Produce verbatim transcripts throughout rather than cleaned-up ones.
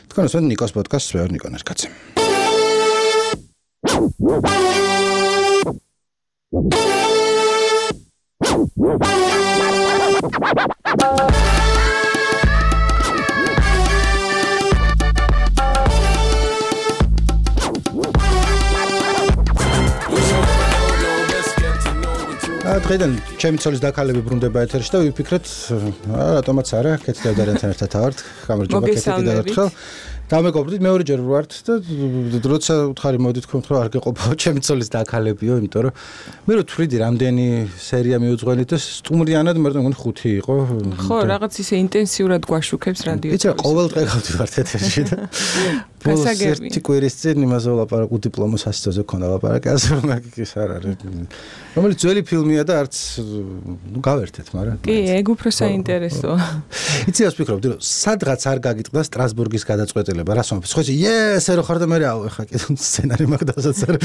თქვენს ვენ ნიკოს პოდკასტს ვეორ ნიკონეს კაცი. დღეიდან ჩემი ცოლის დაქალები ბრუნდება ეთერში და ვიფიქრეთ, რატომაც არა, კეთილდარიანთან ერთად ავართ, გამარჯობა კეთილი კიდევ ერთხელ. დამეგობრდით მეორე ჯერ ვართ და როცა უთხარი მოდით თქვენ რომ არ გეყოფაო ჩემი ცოლის დაქალებიო, იმიტომ რომ მე რო თვლიდი რამდენი სერია მიუძღვენით და სტუმრიანად მე მგონი ხუთი იყო. ხო, რაღაც ისე ინტენსიურად გვაშუქებს რადიო. იცი რა, ყოველ დღე გავდივართ ეთერში და გასაგები. ერთი კვირის წინ იმაზე ვლაპარაკ უდიპლომო სასწავლზე ქონდა ლაპარაკი, ასე რომ ის არ არის. რომელიც ძველი ფილმია და არც ნუ გავერთეთ, მაგრამ კი, ეგ უფრო საინტერესოა. იცი რას ვფიქრობდი, რომ სადღაც არ გაგიტყდა სტრასბურგის გადაწყვეტილება, რას ვამბობ? ხო, იესე რო ხარ და მე აუ ხა კიდე სცენარი მაქვს დასაც არა.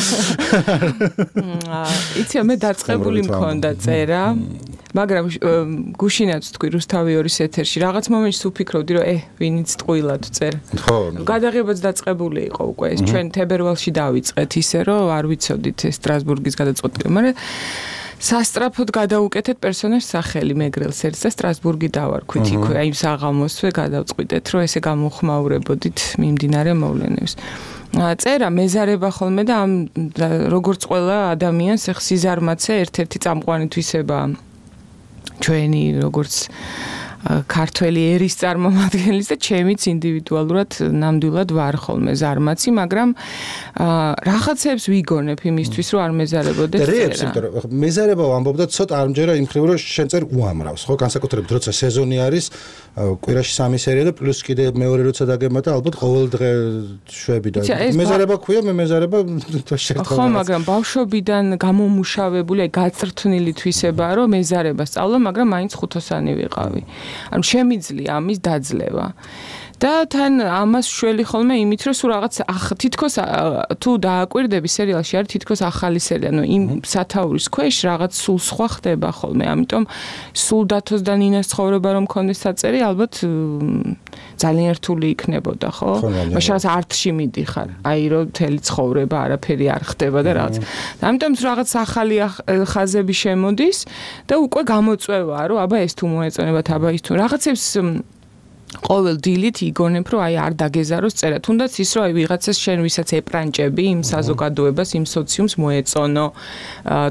იცი მე დაწყებული მქონდა წერა, მაგრამ გუშინაც თქვი რუსთავი ორის ეთერში, რაღაც მომენტში ვფიქრობდი, რომ ე, ვინიც ტყუილად წერ. ხო. გადაღებაც დაწყებული იყო უკვე ეს, ჩვენ თებერვალში დავიწყეთ ისე, რომ არ ვიცოდით ეს სტრასბურგის გადაწყვეტილება, მაგრამ სასტრაფოდ გადაუკეთეთ პერსონაჟს სახელი მეგრელს ერთს და სტრასბურგი დავარქვით იქვე, აი საღამოსვე გადავწყვიტეთ, რომ ესე გამოხმაურებოდით მიმდინარე მოვლენებს. წერა მეზარება ხოლმე და ამ როგორც ყველა ადამიანს ეხ სიზარმაცე ერთ-ერთი წამყვანი თვისებაა ჩვენი როგორც ქართველი ერის წარმომადგენლის და ჩემიც ინდივიდუალურად ნამდვილად ვარ ხოლმე ზარმაცი, მაგრამ რაღაცებს ვიგონებ იმისთვის, რომ არ მეზარებოდეს წერა. რეებს, იმიტომ რომ მეზარება ვამბობდა ცოტა არ მჯერა იმ მხრივ, რომ შენ წერ უამრავს, ხო, განსაკუთრებით როცა სეზონი არის, კვირაში სამი სერია და პლუს კიდე მეორე როცა დაგემატა, ალბათ ყოველ დღე შვები და მეზარება ქვია, მე მეზარება შერთხა. ხო, მაგრამ ბავშვობიდან გამომუშავებული, გაწრთნილი თვისებაა, რომ მეზარება სწავლა, მაგრამ მაინც ხუთოსანი ვიყავი. ანუ შემიძლია ამის დაძლევა. და თან ამას შველი ხოლმე იმით, რომ სულ რაღაც თითქოს თუ დააკვირდები სერიალში არის თითქოს ახალი სერია, ანუ იმ სათაურის ქვეშ რაღაც სულ სხვა ხდება ხოლმე. ამიტომ სულ დათოს და ნინას ცხოვრება რომ მქონდეს საწერი, ალბათ ძალიან რთული იქნებოდა, ხო? მაშინ არტში მიდიხარ. აი რომ მთელი ცხოვრება არაფერი არ ხდება და რაღაც. ამიტომ რაღაც ახალი ხაზები შემოდის და უკვე გამოწვევა, რომ აბა ეს თუ მოეწონებათ, აბა ის თუ რაღაცებს ყოველ დილით იგონებ, რომ აი არ დაგეზაროს წერა. თუნდაც ის, რომ აი ვიღაცას შენ ვისაც ეპრანჭები იმ საზოგადოებას, იმ სოციუმს მოეწონო,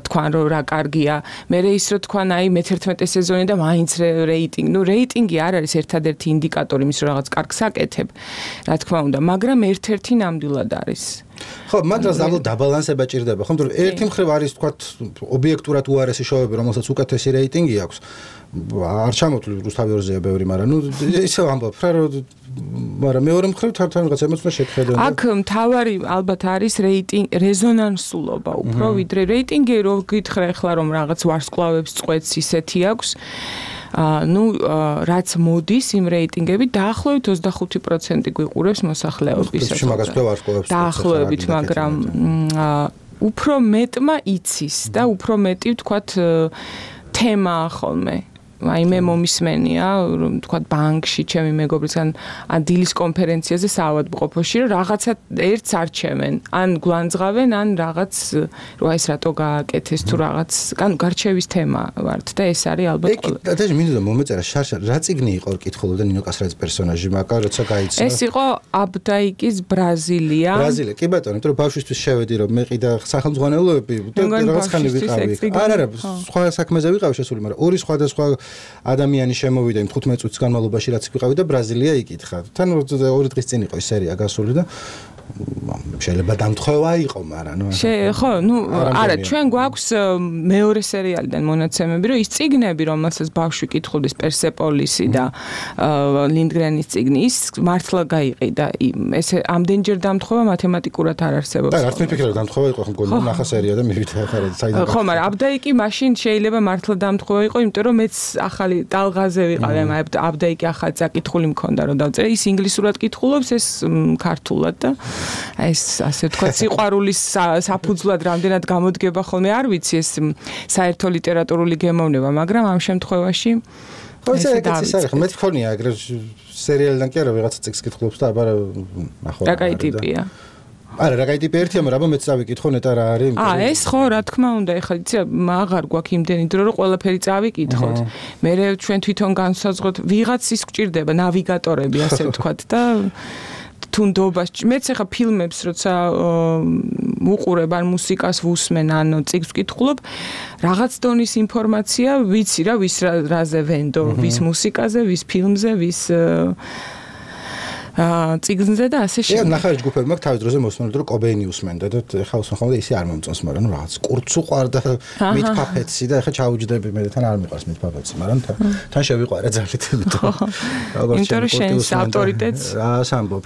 თქვან რომ რა კარგია. მერე ის რომ თქვან აი მეთერთმეტე სეზონი და მაინც რეიტინგი. ნუ რეიტინგი არ არის ერთადერთი ინდიკატორი იმის, რომ რაღაც კარგს აკეთებ, რა თქმა უნდა, მაგრამ ერთ-ერთი ნამდვილად არის. ხო, მაგრამ ზამთრ დაბალანსება ჭირდება. ხო, მაგრამ ერთი მხრივ არის თქვათ ობიექტურად უარესი შოუები, რომელსაც უკეთესი რეიტინგი აქვს. არ ჩამოთვლი რუსთავი ორზეა ბევრი, მაგრამ ნუ ისე ვამბობ, რომ მაგრამ მეორე მხრივ თან რაღაც ემოცია შეხედა. აქ მთავარი ალბათ არის რეიტინგ რეზონანსულობა უფრო ვიდრე რეიტინგი, რო გითხრა ახლა რომ რაღაც ვარსკვლავებს წყვეტს ისეთი აქვს. ну, რაც მოდის იმ რეიტინგები დაახლოებით ოცდახუთი პროცენტი გვიყურებს მოსახლეობისას. დაახლოებით, მაგრამ უფრო მეტმა იცის და უფრო მეტი ვთქვათ თემაა ხოლმე. აი მე მომისმენია, რომ თქვათ ბანკში, ჩემი მეგობრისგან, ან დილის კონფერენციაზე საავადმყოფოში, რომ რაღაცა ერთს არჩევენ, ან გვანძღავენ, ან რაღაც, რომ ეს რატო გააკეთეს თუ რაღაც, ანუ გარჩევის თემა ვართ და ეს არის ალბათ ყველა. ეკი, და მინდოდა მომეწერა შარშა, რა წიგნი იყო კითხულობდა ნინო კასრაძის პერსონაჟი, მაგრამ როცა გაიცნო. ეს იყო აბდაიკის ბრაზილია. ბრაზილია, კი ბატონო, იმიტომ რომ ბავშვისთვის შევედი, რომ მე ყიდა სახელმძღვანელოები და რაღაც ხანი ვიყავი. არა, არა, სხვა საქმეზე ვიყავი შესული, მაგრამ ორი სხვადასხვა ადამიანი შემოვიდა იმ ხუთმეტ წუთის განმავლობაში, რაც ვიყავი და ბრაზილია იკითხა. თან ორი დღის წინ იყო ეს სერია გასული და შეიძლება დამთხევა იყო, მაგრამ ნუ ხო, ნუ არა, ჩვენ გვაქვს მეორე სერიალიდან მონაცემები, რომ ის წიგნები, რომელსაც ბავშვი კითხულობს, პერსეპოლისი და ლინდგრენის წიგნი, ის მართლა გაიყიდა. ესე ამდენჯერ დამთხევა მათემატიკურად არ არსებობს. და არც მიფიქრე რომ დამთხევა იყო, ხო, გონი ნახა სერია და მივიდა ახლა საიდან. ხო, მაგრამ აბდაიკი მაშინ შეიძლება მართლა დამთხევა იყო, იმიტომ რომ მეც ახალი ტალღაზე ვიყავი, აბდაიკი ახალი წაკითხული მქონდა, რომ დავწერე, ის ინგლისურად კითხულობს, ეს ქართულად და ეს ასე თქვა სიყვარულის საფუძვლად რამდენად გამოდგება ხოლმე არ ვიცი ეს საერთო ლიტერატურული გემოვნება, მაგრამ ამ შემთხვევაში ხო, ეს არის, მე თქონია ეგრე სერიალიდან კი არა ვიღაცა წიგს კითხულობს და აბა ნახო. რა კაი ტიპია. არა, რა კაი ტიპი ერთია, მაგრამ მეც დავიკითხო ნეტა რა არის. აა, ეს ხო, რა თქმა უნდა, ეხლა იცი, აღარ გვაქვს იმდენი დრო, რომ ყველაფერი წავიკითხოთ. მე ჩვენ თვითონ განსაზღვროთ, ვიღაც ის გვჭირდება, ნავიგატორები, ასე ვთქვათ და თუნდობას მეც ახლა ფილმებს როცა უყურებ ან მუსიკას ვუსმენ ან წიგნს ვკითხულობ რაღაც დონის ინფორმაცია ვიცი რა ვის რაზე ვენდო ვის მუსიკაზე ვის ფილმზე ვის აა წიგნზე და ასე შემდეგ. ე ნახარი ჯგუფები მაქვს თავის დროზე მოსმენდი რომ კობეინი უსმენდა და ეხლა უსმენ ხოლმე ისე არ მომწონს მაგრამ ნუ რაღაც კურცუ ყარდა მით ფაფეცი და ეხლა ჩაუჯდები მე და თან არ მიყვარს მით ფაფეცი მაგრამ თან შევიყვარა ძალიან იმიტომ როგორც იმიტომ რომ შენს ავტორიტეტს რა სამბობ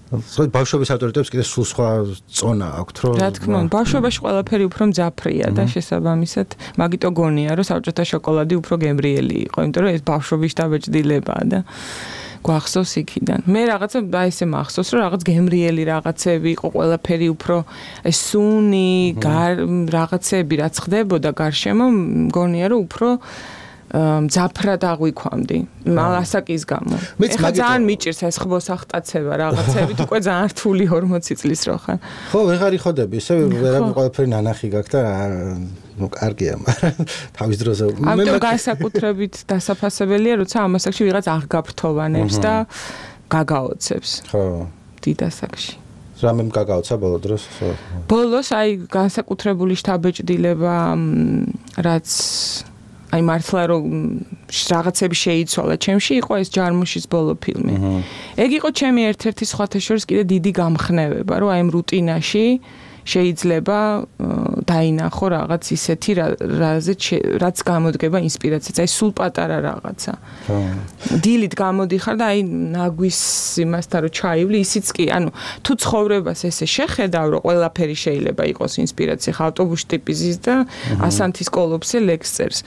სხვა ბავშვობის ავტორიტეტებს კიდე სულ სხვა წონა აქვს რომ რა თქმა უნდა ბავშვობაში ყველაფერი უფრო მძაფრია და შესაბამისად მაგიტო გონია რომ საბჭოთა შოკოლადი უფრო გემრიელი იყო იმიტომ რომ ეს ბავშვობის დაბეჭდილებაა და გვახსოვს იქიდან. მე რაღაცა აი ესე მახსოვს რომ რაღაც გემრიელი რაღაცები იყო ყველაფერი უფრო ეს სუნი რაღაცები რაც ხდებოდა გარშემო მგონია რომ უფრო მძაფრად აღვიქვამდი ასაკის გამო. ეხლა ძალიან მიჭირს ეს ხბოს ახტაცება რაღაცებით უკვე ძალიან რთული ორმოცი წლის რო ხარ. ხო ვეღარ იხოდები ისე ვერავინ ყველაფერი ნანახი გაქვს და ну კარგია მაგრამ თავის დროზე მე ამიტომ განსაკუთრებით დასაფასებელია როცა ამ ასაკში ვიღაც აღგაფრთოვანებს და გაგაოცებს. ხო დიდ ასაკში. რამემ გაგაოცა ბოლო დროს? ბოლოს აი განსაკუთრებული შთაბეჭდილება რაც აი მართლა რომ რაღაცები შეიცვალა ჩემში იყო ეს ჯარმუშის ბოლო ფილმი. ეგ იყო ჩემი ერთ-ერთი სხვათა შორის კიდე დიდი გამხნევება რომ აი ამ რუტინაში შეიძლება დაინახო რაღაც ისეთი რაზეც რაც გამოდგება ინსპირაციაც აი სულ პატარა რაღაცა. დილით გამოდიხარ და აი ნაგვის იმასთან რომ ჩაივლი ისიც კი ანუ თუ ცხოვრებას ესე შეხედავ რომ ყველაფერი შეიძლება იყოს ინსპირაცია ხა ავტობუსში ტიპიზის და ასანთის კოლოფზე ლექსწერს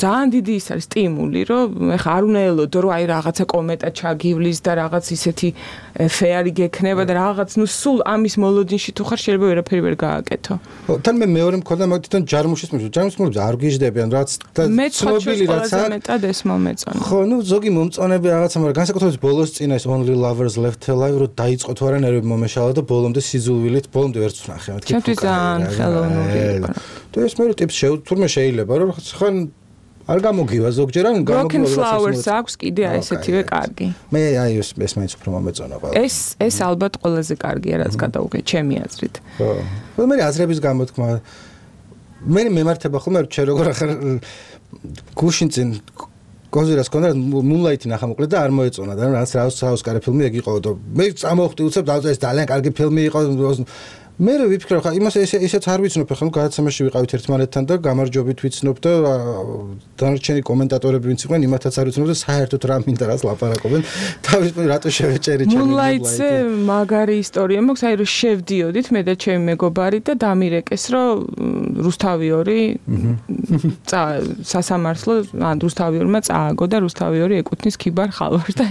ძალიან დიდი ის არის სტიმული რომ ეხა არ უნდა ელოდო რომ აი რაღაცა კომენტა ჩაგივლის და რაღაც ისეთი ფეარი გექნება და რაღაც ნუ სულ ამის მოლოდინში თუ ხარ შეიძლება ვერაფერი ვერ გააკეთო. ხო თან მე მეორე მქონდა მაგ თვითონ ჯარმუშის მის ჯარმუშის მოლოდინში არ გიждდებიან რაც და ცნობილი რაც არის მეტად ეს მომეწონა. ხო ნუ ზოგი მომწონები რაღაცა მაგრამ განსაკუთრებით ბოლოს წინა ეს Only Lovers Left Alive რომ დაიწყო თუ არა ნერვები მომეშალა და ბოლომდე სიზულვილით ბოლომდე ვერც ვნახე მეთქი. ჩემთვის ძალიან ხელოვნური იყო. და ეს მე ტიპს თურმე შეიძლება რომ ხან არ გამოგივა ზოგჯერ ან გამოგივა Flowers აქვს კიდე ესეთივე კარგი. მე აი ეს ეს მაინც უფრო მომეწონა ყველა. ეს ეს ალბათ ყველაზე კარგია რაც გადავუღე ჩემი აზრით. ხო. ხო მე აზრების გამოთქმა მე მემართება ხოლმე რომ ჩვენ როგორ ახარ გუშინ წინ კონზერვას კონდა Moonlight-ი ნახა მოკლედ და არ მოეწონა და რაც რაოსკარი ფილმი ეგ იყო და მე წამოვხდი უცებ და ეს ძალიან კარგი ფილმი იყო მე რო ვიფიქრე ხა იმას ესე ესეც არ ვიცნობ ხა ნუ გადაცემაში ვიყავით ერთმანეთთან და გამარჯვებით ვიცნობ და დანარჩენი კომენტატორები ვინც იყვნენ იმათაც არ ვიცნობ და საერთოდ რა მინდა რაც ლაპარაკობენ თავის რატო შევეჭერი ჩემი Moonlight-ზე მაგარი ისტორია მაქვს აი რომ შევდიოდით მე და ჩემი მეგობარი და დამირეკეს რომ რუსთავი-ორი სასამართლო ან რუსთავი-ორმა წააგო და რუსთავი-ორი ეკუთვნის ქიბარ ხალვარს და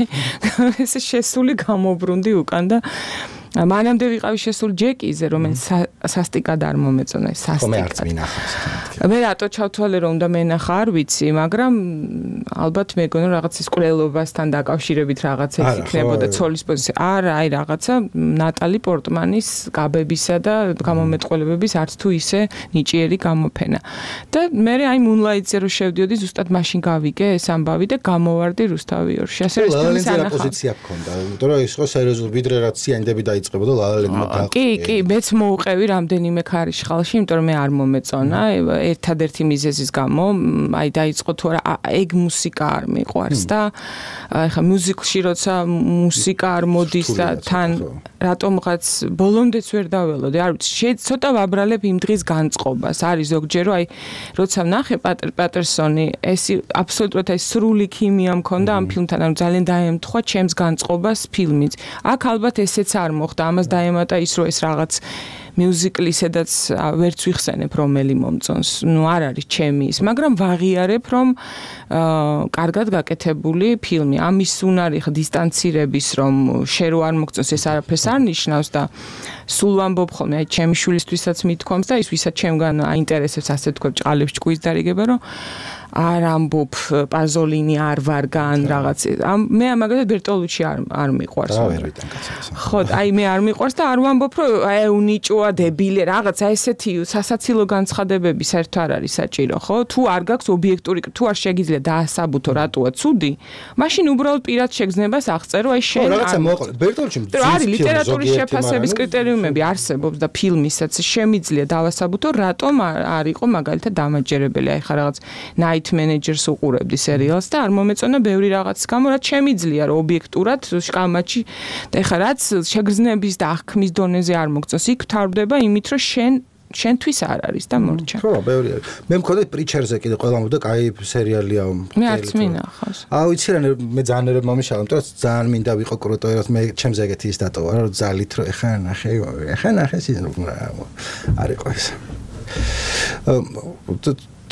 ესე შესული გამობრუნდი უკან და მანამდე ვიყავი შესული ჯეკიზე, რომელიც სასტიკად არ მომეწონა, სასტიკად. მე არც მინახავს. მე რატო ჩავთვალე რომ უნდა მენახა, არ ვიცი, მაგრამ ალბათ მეგონა რაღაც ის ყრელობასთან დაკავშირებით რაღაცა იქნებოდა ცოლის პოზიცია. არა, აი რაღაცა ნატალი პორტმანის გაბებისა და გამომეტყველებების არც თუ ისე ნიჭიერი გამოფენა. და მე აი Moonlight-ზე რო შევდიოდი, ზუსტად მაშინ გავიგე ეს ამბავი და გამოვარდი რუსთავი-ორში. ასე ეს ფილმის ანახა. პოზიცია გქონდა, იმიტომ რომ ის ხო სერიოზული ვიდრე რაც სიანდები და იწყებოდა ლალალენმა და კი, კი, მეც მოუყევი რამდენიმე ქარიშხალში, იმიტომ რომ მე არ მომეწონა, ერთადერთი მიზეზის გამო, აი დაიწყო თუ არა ეგ მუსიკა არ მიყვარს და ეხა მუსიკში როცა მუსიკა არ მოდის და თან რატომღაც ბოლომდეც ვერ დაველოდე, არ ვიცი, ცოტა ვაბრალებ იმ დღის განწყობას, არის ზოგჯერ რომ აი როცა ვნახე პატერ პატერსონი, ეს აბსოლუტურად აი სრული ქიმია მქონდა ამ ფილმთან, ანუ ძალიან დაემთხვა ჩემს განწყობას ფილმიც. აქ ალბათ ესეც არ მოხდა, ამას დაემატა ის რომ ეს რაღაც მიუზიკლი სადაც ვერც ვიხსენებ რომელი მომწონს. ნუ არ არის ჩემი ის, მაგრამ ვაღიარებ რომ აა კარგად გაკეთებული ფილმი. ამის უნარი ხა დისტანცირების რომ შე რო არ მოგწონს ეს არაფერს არ ნიშნავს და სულ ვამბობ ხოლმე აი ჩემი შვილისთვისაც მithქვამს და ის ვისაც ჩემგან აინტერესებს ასე თქვა ჭყალებს ჭკუის დარიგება რომ არ ამბობ პაზოლინი არ ვარგან რაღაც მე მაგალითად ბერტოლუჩი არ არ მიყვარს ხო აი მე არ მიყვარს და არ ვამბობ რომ აი უნიჭოა დებილი რაღაცა ესეთი სასაცილო განცხადებები საერთოდ არ არის საჭირო ხო თუ არ გაქვს ობიექტური თუ არ შეგიძლია დაასაბუთო რატოა ცუდი მაშინ უბრალოდ პირად შეგრძნებას აღწერო აი შენ რაღაცა მოყოლე ბერტოლუჩი არის ლიტერატურის შეფასების კრიტერიუმები არსებობს და ფილმისაც შემიძლია დავასაბუთო რატომ არ იყო მაგალითად დამაჯერებელი აი ხა რაღაც night managers უყურებდი სერიალს და არ მომეწონა ბევრი რაღაცის გამო რაც შემიძლია რომ ობიექტურად შკამაჩი და ხა რაც შეგრძნების და აღქმის დონეზე არ მოგწონს იქ თავდება იმით რომ შენ შენთვის არ არის და მორჩა. ხო, ბევრი არის. მე მქონდა პრიჩერზე კიდე ყველა მომდა კაი სერიალია. მე არც მინახავს. აუ იცი რა მე ძალიან ერებ მომიშალა, იმიტომ რომ ძალიან მინდა ვიყო კრუტო, რომ მე ჩემს ეგეთი ის დატოვა, რომ ძალით რომ ეხა ნახე, ეხა ნახე სიზნ არ იყო ეს.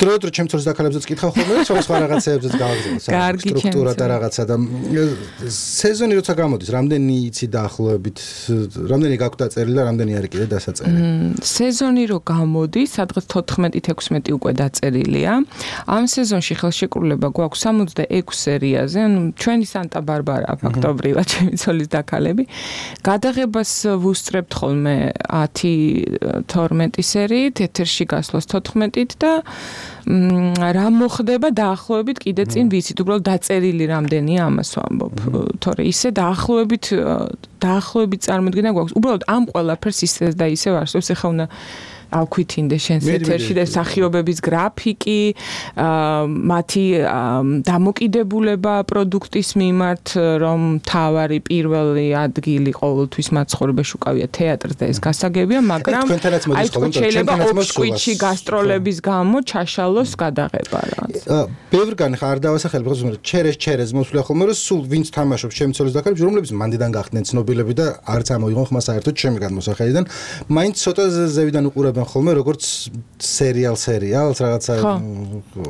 დროდადრო ჩემ თორს დაკალებზეც კითხავ ხოლმე და სხვა რაღაცეებზეც გავაგზავნე სტრუქტურა და რაღაცა და სეზონი როცა გამოდის რამდენი იცი დაახლოებით რამდენი გაქვს დაწერილი და რამდენი არის კიდე დასაწერილი სეზონი რო გამოდის სადღაც თოთხმეტი ექვსმეტი უკვე დაწერილია ამ სეზონში ხელშეკრულება გვაქვს სამოცდაექვსი სერიაზე ანუ ჩვენი სანტა ბარბარა ფაქტობრივად ჩემი ცოლის დაკალები გადაღებას ვუსწრებთ ხოლმე ათი თორმეტი სერიით ეთერში გასვლას თოთხმეტით და რა მოხდება დაახლოებით კიდე წინ ვიცით უბრალოდ დაწერილი რამდენია ამას ვამბობ თორე ისე დაახლოებით დაახლოებით წარმოდგენა გვაქვს უბრალოდ ამ ყველაფერს ისე და ისე არსებობს ეხლა უნდა ავქვითინდე შენს ეთერში და მსახიობების გრაფიკი მათი დამოკიდებულება პროდუქტის მიმართ რომ თავარი პირველი ადგილი ყოველთვის მაცხოვრებაში უკავია თეატრს და ეს გასაგებია მაგრამ აი თქო შეიძლება ოქსკვიჩი გასტროლების გამო ჩაშალოს გადაღება რაღაც ბევრგან ხარ დავასახელებ ხოლმე ჩერეს ჩერეს მოსვლია ხოლმე რომ სულ ვინც თამაშობს ჩემი ცოლის დაკარებში რომლებიც მანდიდან გახდნენ ცნობილები და არც ამოიღონ ხმა საერთოდ ჩემი გადმოსახედიდან მაინც ცოტა ზევიდან უყურებენ ხოლმე როგორც სერიალ სერიალს რაღაცა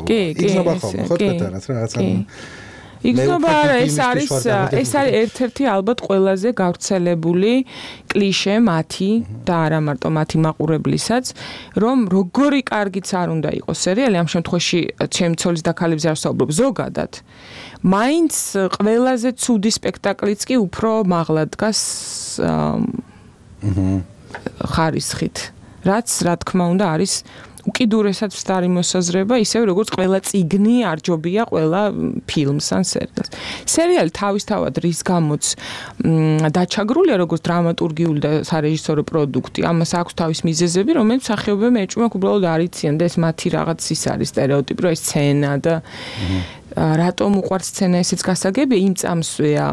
იგზნობა ხოლმე ხო თეთრად რაღაცა იგზნობა ეს არის ეს არის ერთ-ერთი ალბათ ყველაზე გავრცელებული კლიშე მათი და არა მარტო მათი მაყურებლისაც რომ როგორი კარგიც არ უნდა იყოს სერიალი ამ შემთხვევაში ჩემი ცოლის დაკალებზე არ ვსაუბრობ ზოგადად მაინც ყველაზე ცუდი სპექტაკლიც კი უფრო მაღლა დგას ხარისხით რაც რა თქმა უნდა არის უკიდურესად ვსტარი მოსაზრება, ისევ როგორც ყველა წიგნი არჯობია ყველა ფილმს ან სერიალს. სერიალი თავისთავად რის გამოც დაჩაგრულია როგორც დრამატურგიული და სარეჟისორო პროდუქტი. ამას აქვს თავის მიზეზები, რომელიც მსახიობებმა ეჭვმაკ უბრალოდ არ იციან და ეს მათი რაღაც ის არის სტერეოტიპი, რომ ეს სცენა და რატომ უყვარს სცენა ესეც გასაგებია იმ წამსვეა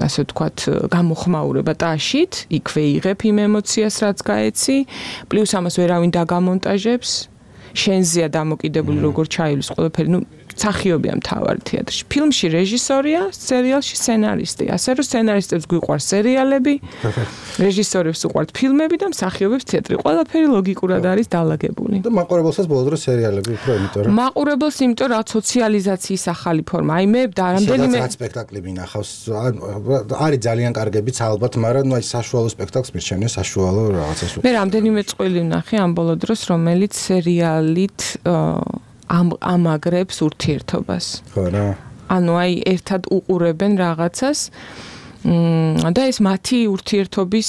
ასე ვთქვათ გამოხმაურება ტაშით იქვე იღებ იმ ემოციას რაც გაეცი პლუს ამას ვერავინ დაგამონტაჟებს შენზეა დამოკიდებული როგორ ჩაივლის ყველაფერი ნუ მსახიობია მთავარი თეატრში ფილმში რეჟისორია სერიალში სცენარისტი ასე რომ სცენარისტებს გვიყვარს სერიალები რეჟისორებს უყვართ ფილმები და მსახიობებს თეატრი ყველაფერი ლოგიკურად არის დალაგებული და მაყურებელსაც ბოლოს დროს სერიალები უფრო იმიტომ რომ მაყურებელს იმიტომ რომ სოციალიზაციის ახალი ფორმა აი მე და რამდენიმე სადაც სპექტაკლი მინახავს არის ძალიან კარგებიც ალბათ მაგრამ ნუ აი საშუალო სპექტაკლს მირჩენია საშუალო რაღაცას მე რამდენიმე წყვილი ვნახე ამ ბოლო დროს რომელიც სერიალით ამ ამაგრებს ურთიერთობას. ხო რა. ანუ აი ერთად უყურებენ რაღაცას და ეს მათი ურთიერთობის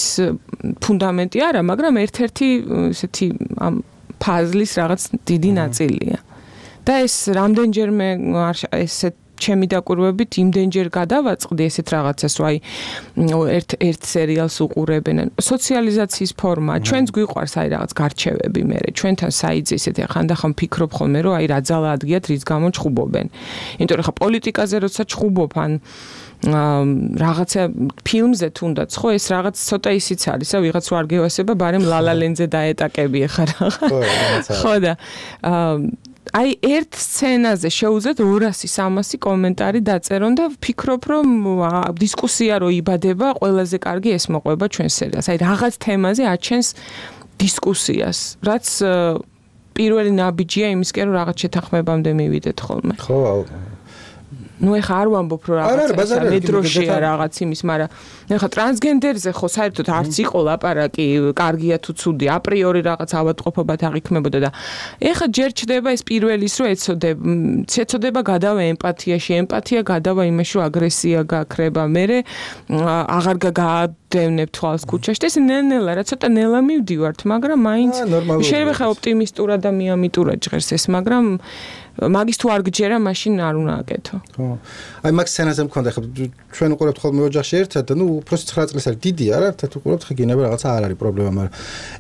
ფუნდამენტი არა, მაგრამ ერთ-ერთი ესეთი ამ ფაზლის რაღაც დიდი ნაწილია. და ეს რამდენჯერმე ესეთ ჩემი დაკვირვებით იმდენჯერ გადავაწყდი ესეთ რაღაცას, რომ აი ერთ ერთ სერიალს უყურებენ. სოციალიზაციის ფორმა, ჩვენც გვიყვარს აი რაღაც გარჩევები მე. ჩვენთან საიძე ესეთი ხანდახან ფიქრობ ხოლმე, რომ აი რა ძალა ადგიათ რის გამო ჩხუბობენ. იმიტომ რომ ხა პოლიტიკაზე როცა ჩხუბობ ან რაღაცა ფილმზე თუნდაც ხო ეს რაღაც ცოტა ისიც არის, რა ვიღაც ვარ გევასება, ბარემ ლალალენძე დაეტაკები ხა რაღაცა. ხო და აი ერთ სცენაზე შეუძლებთ ორასი სამასი კომენტარი დაწერონ და ვფიქრობ რომ დისკუსია რო იბადება ყველაზე კარგი ეს მოყვება ჩვენ სერიალს. აი რაღაც თემაზე აჩენს დისკუსიას, რაც პირველი ნაბიჯია იმისკენ რომ რაღაც შეთანხმებამდე მივიდეთ ხოლმე. ხო ну ეხა არ ვამბობ რომ რაღაცა მეტროშია რაღაც იმის, მაგრამ ეხა ტრანსგენდერზე ხო საერთოდ არც იყო ლაპარაკი, კარგია თუ ცუდი, აპრიორი რაღაც ავადმყოფობად აღიქმებოდა და ეხა ჯერ ჩდება ეს პირველის რომ ეცოდება, ეცოდება გადავა ემპათიაში, ემპათია გადავა იმაში რომ აგრესია გაქრება, მერე აღარ გადავნებ თვალს ქუჩაში და ეს ნელ-ნელა რა ცოტა ნელა მივდივართ, მაგრამ მაინც შეიძლება ხა ოპტიმისტურად და მიამიტურად ჟღერს ეს, მაგრამ მაგის თუ არ გჯერა, მაშინ არ უნდა აკეთო. ხო. აი მაგ სცენაზე მქონდა ხა ჩვენ უყურებთ ხოლმე ოჯახში ერთად და ნუ უბრალოდ ცხრა წლის არის დიდია რა, ერთად უყურებთ ხა გინება რაღაცა არ არის პრობლემა, მაგრამ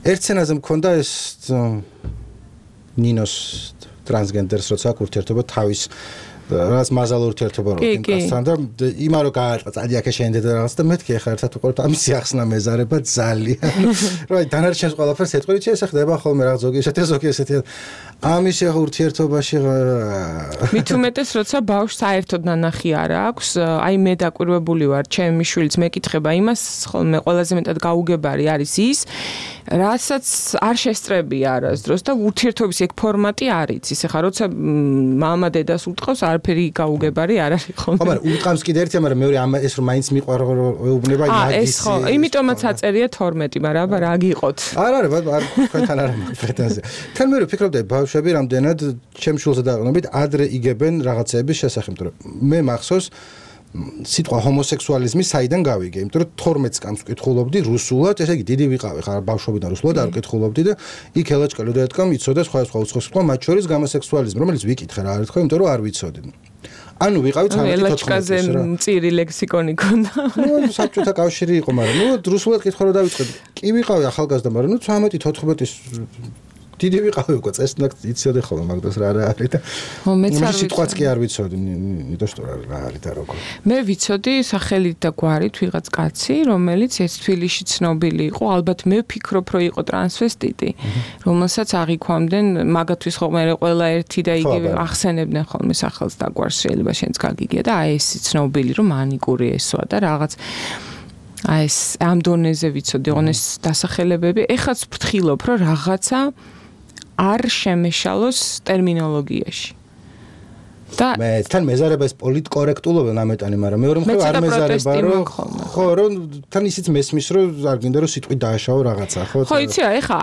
ერთ სცენაზე მქონდა ეს ნინოს ტრანსგენდერს როცა აქვს ურთიერთობა თავის რაც მაზალ ურთიერთობა რო კასთან და იმარო გაარტყა წადიაქე შენდე და რაღაც და მეთქი ახლა ერთად უყურებთ ამის ახსნა მეზარება ძალიან რა დანარჩენს ყველაფერს ეთქვით ეს ხდება ხოლმე რაღაც ზოგი ესეთი ზოგი ესეთი ამის ურთიერთობაში მით უმეტეს როცა ბავშვს საერთოდ ნანახი არ აქვს აი მე დაკვირვებული ვარ ჩემი შვილიც მეკითხება იმას ხოლმე ყველაზე მეტად გაუგებარი არის ის რასაც არ შესწრებია არასდროს და ურთიერთობის ეგ ფორმატი არ იცის ეხლა როცა მამა დედას უტყავს არაფერი გაუგებარი არ არის ხოლმე მაგრამ უტყავს კიდე ერთი მაგრამ მეორე ამ ეს რომ მაინც მიყვარებუნება იმაგის ეს ხო იმიტომაც აწერია თორმეტი მაგრამ აბა რა გიყოთ არ არის არ თქვენთან არ პრეტენზია თან მე ვფიქრობდი ბავშვები რამდენად ჩემ შულზე დაყრდნობით ადრე იგებენ რაღაცების შესახებ იმიტომ რომ მე მახსოვს სიტყვა ჰომოსექსუალიზმი საიდან გავიგე იმიტომ რომ თორმეტ წამს ვკითხულობდი რუსულად ესე იგი დიდი ვიყავი ხარ ბავშვობიდან რუსულად არ ვკითხულობდი და იქ ელაჭკალო და ეთქამ იცოდა სხვა სხვა უცხო სიტყვა მათ შორის გამოსექსუალიზმი რომელიც ვიკითხე რა არის ხო იმიტომ რომ არ ვიცოდი ანუ ვიყავი ცხრამეტი ელაჭკაზე მწირი ლექსიკონი ქონდა ნუ საბჭოთა კავშირი იყო მაგრამ ნუ რუსულად კითხვა რომ დავიწყე კი ვიყავი ახალგაზრდა მაგრამ ნუ ცხრამეტი თოთხმეტის დიდი ვიყავი უკვე წესნაკ იცოდე ხოლმე მაგდას რა რა არის და ხო მეც არ სიტყვაც კი არ ვიცოდი ნიტო што რა არის და როგორ მე ვიცოდი სახელით და გვარით ვიღაც კაცი რომელიც ეს თბილისში ცნობილი იყო ალბათ მე ვფიქრობ რომ იყო ტრანსვესტიტი რომელსაც აღიქვამდნენ მაგათვის ხოლმე ყველა ერთი და იგივე ახსენებდნენ ხოლმე სახელს და გვარს შეიძლება შენც გაგიგია და აი ეს ცნობილი რომ მანიკური ესვა და რაღაც აი ეს ამ დონეზე ვიცოდი ოღონდ ეს დასახელებები ეხაც ვფრთხილობ რომ რაღაცა არ შემეშალოს ტერმინოლოგიაში და მე თან მეზარება ეს პოლიტკორექტულობა ნამეტანი მაგრამ მეორე მხრივ არ მეზარება რომ ხო რომ თან ისიც მესმის რომ არ გინდა რომ სიტყვი დააშაო რაღაცა ხო ხო იცი რა ეხა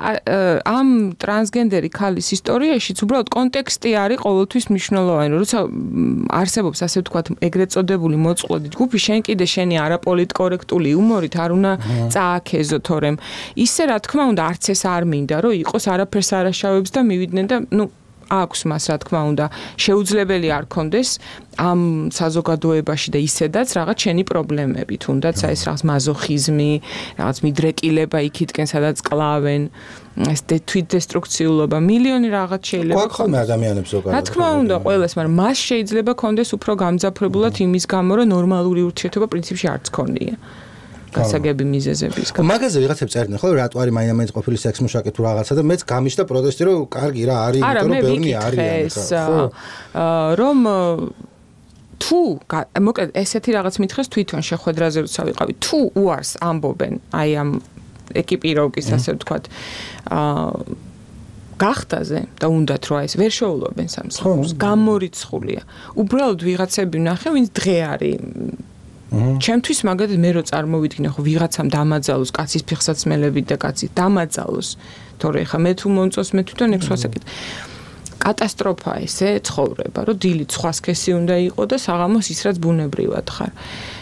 ამ ტრანსგენდერი ქალის ისტორიაშიც უბრალოდ კონტექსტი არის ყოველთვის მნიშვნელოვანი როცა არსებობს ასე ვთქვათ ეგრეთ წოდებული მოწყვლადი ჯგუფი შენ კიდე შენი არაპოლიტკორექტული იუმორით არ უნდა წააქეზო თორემ ისე რა თქმა უნდა არც ეს არ მინდა რომ იყოს არაფერს არაშავებს და მივიდნენ და ნუ აქვს მას რა თქმა უნდა შეუძლებელი არ კონდეს ამ საზოგადოებაში და ისედაც რაღაც შენი პრობლემები თუნდაც აი ეს რაღაც მაზოხიზმი რაღაც მიდრეკილება იქითკენ სადაც კლავენ ეს თვითდესტრუქციულობა მილიონი რაღაც შეიძლება გვაქვს ხოლმე ადამიანებს ზოგადად რა თქმა უნდა ყველას მაგრამ მას შეიძლება კონდეს უფრო გამძაფრებულად იმის გამო რომ ნორმალური ურთიერთობა პრინციპში არც ქონია გასაგები მიზეზების გამო. მაგაზე ვიღაცებს წერდნენ ხო რატო არის მაინც ყოფილი სექს მუშაკი თუ რაღაცა და მეც გამიშდა პროტესტი რომ კარგი რა არის იმიტომ რომ ბევრი არის ხო რომ თუ მოკლედ ესეთი რაღაც მითხეს თვითონ შეხვედრაზე როცა ვიყავი თუ უარს ამბობენ აი ამ ეკიპიროვკის ასე ვთქვათ აა გახტაზე და უნდათ რომ ეს ვერ შეულობენ სამსახურს გამორიცხულია უბრალოდ ვიღაცები ვნახე ვინც დღე არის ჩემთვის მაგალითად მე რო წარმოვიდგინე ხო ვიღაცამ დამაძალოს კაცის ფიხსაცმელებით და კაცის დამაძალოს თორე ხა მე თუ მომწოს მე თვითონ ეგ სხვასაკეთ კატასტროფა ესე ცხოვრება რომ დილით სხვა სქესი უნდა იყოს და საღამოს ის რაც ბუნებრივად ხარ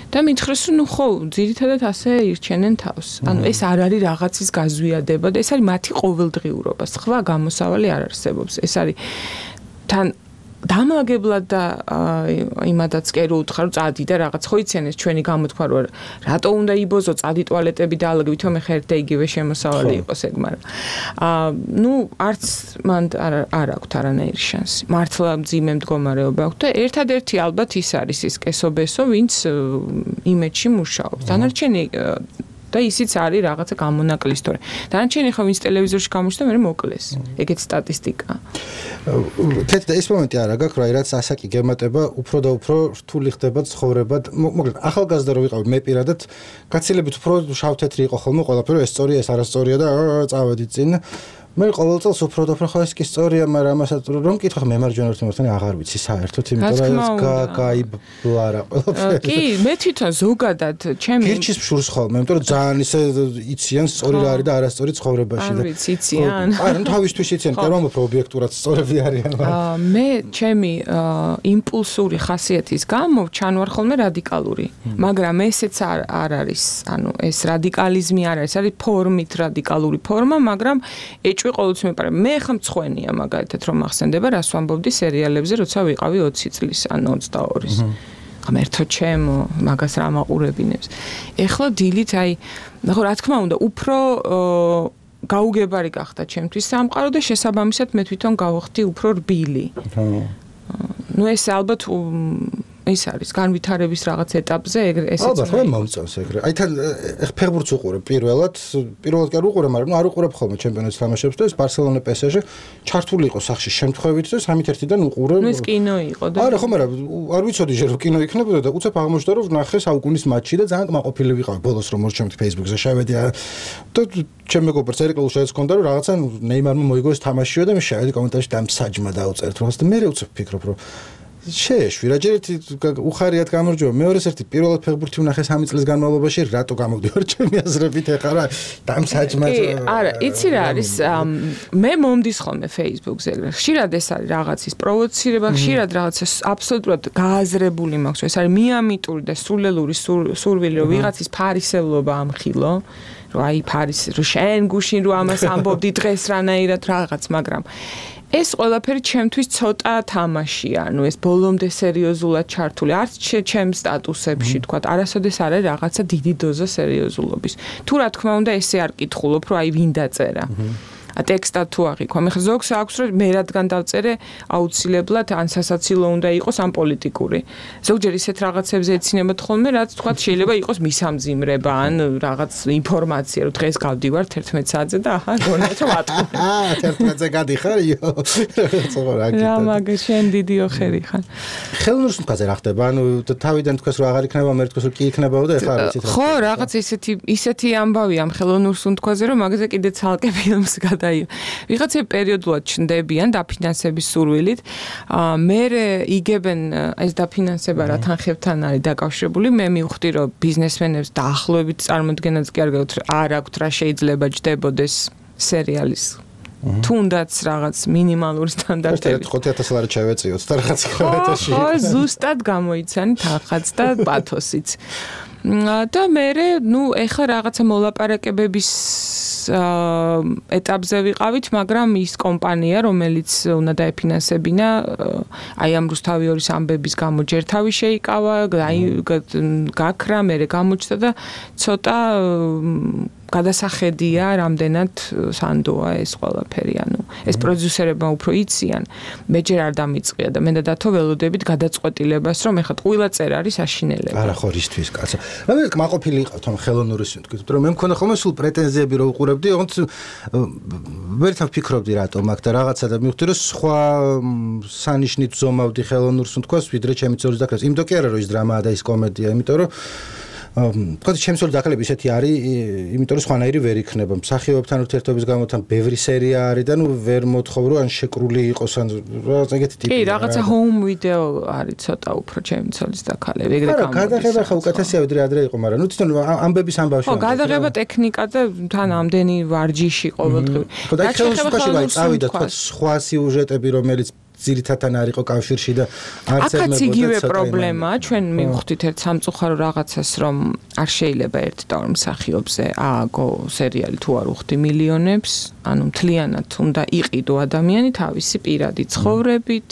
და მითხრეს რომ ნუ ხო ძირითადად ასე ირჩენენ თავს ანუ ეს არ არის რაღაცის გაზვიადება და ეს არის მათი ყოველდღიურობა სხვა გამოსავალი არ არსებობს ეს არის თან დამაგებლად და იმადაც კერო უთხარ წადი და რაღაც ხო იციან ეს ჩვენი გამოთქვა რომ რატო უნდა იბოზო წადი ტუალეტები დაალაგე ვითომ ხა ერთ და იგივე შემოსავალი იყოს ეგ მაგრამ აა ნუ არც მან არ არ აქვს არანაირი შანსი მართლა მძიმე მდგომარეობა აქვს და ერთადერთი ალბათ ის არის ის კესობესო ვინც იმედში მუშაობს დანარჩენი და ისიც არის რაღაცა გამონაკლისი თორე დანარჩენი ხო ვინც ტელევიზორში გამოჩნდა მე მოკლეს ეგეც სტატისტიკა თეთრ და ეს მომენტი არა გაქვს რა რაც ასაკი გემატება უფრო და უფრო რთული ხდება ცხოვრება მოკლედ ახალგაზრდა რო ვიყავი მე პირადად გაცილებით უფრო შავ-თეთრი იყო ხოლმე ყველაფერი ეს სწორია ეს არასწორია და წავედი წინ მე ყოველწელს უფრო და უფრო ხარ ის კი სწორია, მაგრამ ამასაც რომ მკითხავ მემარჯვენე ერთმანეთთან აღარ ვიცი საერთოდ, იმიტომ რომ გაიბლა რა ყველაფერი. კი, მე თვითონ ზოგადად ჩემი გირჩის ფშურს ხოლმე, იმიტომ რომ ძალიან ისე იციან სწორი რა არის და არასწორი ცხოვრებაში და. არ ვიცი, იციან. აი, ნუ თავისთვის იციან, კი რომ უფრო ობიექტურად სწორები არიან. აა მე ჩემი იმპულსური ხასიათის გამო ჩანვარ ხოლმე რადიკალური, მაგრამ ესეც არ არ არის, ანუ ეს რადიკალიზმი არ არის, არის ფორმით რადიკალური ფორმა, მაგრამ ეჭვი ყოველთვის მეპარე. მე ხა მცხვენია მაგალითად რომ ახსენდება, რას ვამბობდი სერიალებზე, როცა ვიყავი ოცი წლის, ანუ ოცდაორის. ღმერთო ჩემო, მაგას რა მაყურებინებს. ეხლა დილით აი, ნახო რა თქმა უნდა, უფრო გაუგებარი გახდა ჩემთვის სამყარო და შესაბამისად მე თვითონ გავხდი უფრო რბილი. ნუ ეს ალბათ ის არის განვითარების რაღაც ეტაპზე ეგრე ესეც. ალბათ მე მომწონს ეგრე. აი თან ფეხბურთს უყურებ პირველად, პირველად კი არ უყურებ, მაგრამ ნუ არ უყურებ ხოლმე ჩემპიონატის თამაშებს და ეს ბარსელონა პე ეს ჟე ჩართული იყო სახში შემთხვევით და სამით ერთიდან უყურებ. ნუ ეს კინო იყო და არა ხო, მაგრამ არ ვიცოდი ჟე რომ კინო იქნებოდა და უცებ აღმოჩნდა რომ ნახე საუკუნის მატჩი და ძალიან კმაყოფილი ვიყავი ბოლოს რომ მორჩემთ Facebook-ზე შევედი და ჩემ მეგობრს ერეკლულ შეეც ჰქონდა რომ რაღაცა ნეიმარმა მოიგო ეს თამაშიო და მე შევედი კომენტარში და მსაჯმა დაუწერთ რაღაც და მე უცებ ფიქრობ რომ შეეშვი რა ჯერ ერთი უხარიათ გამარჯვება მეორეს ერთი პირველად ფეხბურთი ვნახე სამი წლის განმავლობაში რატო გამოვდივარ ჩემი აზრებით ეხლა რა დამსაჯმა არა იცი რა არის მე მომდის ხოლმე Facebook-ზე ხშირად ეს არის რაღაცის პროვოცირება ხშირად რაღაცა აბსოლუტურად გააზრებული მაქვს ეს არის მიამიტური და სულელური სურვილი რომ ვიღაცის ფარისევლობა ამხილო რომ აი ფარის რომ შენ გუშინ რომ ამას ამბობდი დღეს რანაირად რაღაც მაგრამ ეს ყველაფერი ჩემთვის ცოტა თამაშია, ანუ ეს ბოლომდე სერიოზულად ჩართული, არც ჩემს სტატუსებში თქვა, არასოდეს არ არის რაღაცა დიდი დოზა სერიოზულობის. თუ რა თქმა უნდა ესე არ კითხულობ, რომ აი ვინ დაწერა. ტექსტად თუ აღიქვა. მე ზოგს აქვს რომ მე რადგან დავწერე აუცილებლად ან სასაცილო უნდა იყოს ან პოლიტიკური. ზოგჯერ ისეთ რაღაცებზე ეცინება ხოლმე, რაც თქვა შეიძლება იყოს მისამძიმრება ან რაღაც ინფორმაცია, რომ დღეს გავდივარ თერთმეტ საათზე და აჰა, გონათ რომ ატყობ. აა, თერთმეტზე გადიხარ, იო. რა მაგა შენ დიდი ოხერი ხარ. ხელნურსუნთქაზე რა ხდება? ანუ თავიდან თქვას რომ აღარ იქნება, მე თქვას რომ კი იქნებაო და ეხლა არ ვიცით რა. ხო, რაღაც ისეთი ისეთი ამბავი ამ ხელნურსუნთქაზე რომ მაგაზე კიდე ცალკე ფილმს გადა აი ვიღაცა პერიოდულად ჩნდებიან დაფინანსების სურვილით. მე იგებენ ეს დაფინანსება რა თანხებთან არის დაკავშირებული. მე მივხვდი რომ ბიზნესმენებს დაახლოებით წარმოდგენაც კი არ გაქვთ არ აქვთ რა შეიძლება ჯდებოდეს სერიალის თუნდაც რაღაც მინიმალური სტანდარტები. ხუთი ათას ლარი ჩავეწიოთ და რაღაც ხალხებში. ხო, ზუსტად გამოიცანით ახაც და პათოსიც. და მე ნუ ეხა რაღაცა მოლაპარაკებების ეტაპზე ვიყავით, მაგრამ ის კომპანია, რომელიც უნდა დაეფინანსებინა, აი ამ რუსთავიორის ამბების გამო ჯერ თავი შეიკავა, გაქრა, მერე გამოჩნდა და ცოტა გადასახედია რამდენად სანდოა ეს ყველაფერი, ანუ ეს პროდიუსერებმა უფრო იციან, მე ჯერ არ დამიწყია და მე და დათო ველოდებით გადაწყვეტილებას, რომ ეხლა ყველა წერ არის აშინელება. არა ხო რისთვის კაცო. მე კმაყოფილი იყავთ ამ ხელოვნური სუნთქვით, რომ მე მქონდა ხოლმე სულ პრეტენზიები რომ უყურებდი, ოღონდ ვერთან ვფიქრობდი რატომ აქ და რაღაცა და მივხვდი რომ სხვა სანიშნით ზომავდი ხელოვნურ სუნთქვას, ვიდრე ჩემი ძოლის დაკრებას. იმდო კი არა რომ ის დრამაა და ის კომედია, იმიტომ რომ თქვა ჩემს ძოლის დაკრება ისეთი არის, იმიტომ რომ სხვანაირი ვერ იქნება. მსახიობებთან ურთიერთობის გამო თან ბევრი სერია არის და ნუ ვერ მოთხოვ რომ ან შეკრული იყოს ან რაღაც ეგეთი ტიპი. კი, რაღაცა home video არის ცოტა უფრო ჩემი ძოლის დაკრება, ეგრე გამოდის. არა, გადაღება ხა უკეთესია ვიდრე ადრე იყო, მაგრამ ნუ თვითონ ამბების ამბავში. ხო, გადაღება ტექნიკა და თან ამდენი ვარჯიში ყოველდღიური. ხო, და ხელშეკრულებაში ვაი წავიდა თქვა სხვა სიუჟეტები რომელიც ძირითადად არ იყო კავშირში და არც ემებოდა. აქაც იგივე პრობლემაა, ჩვენ მივხვდით ერთ სამწუხარო რაღაცას, რომ არ შეიძლება ერთ და ორ მსახიობზე ააგო სერიალი თუ არ უხდი მილიონებს, ანუ მთლიანად უნდა იყიდო ადამიანი თავისი პირადი ცხოვრებით.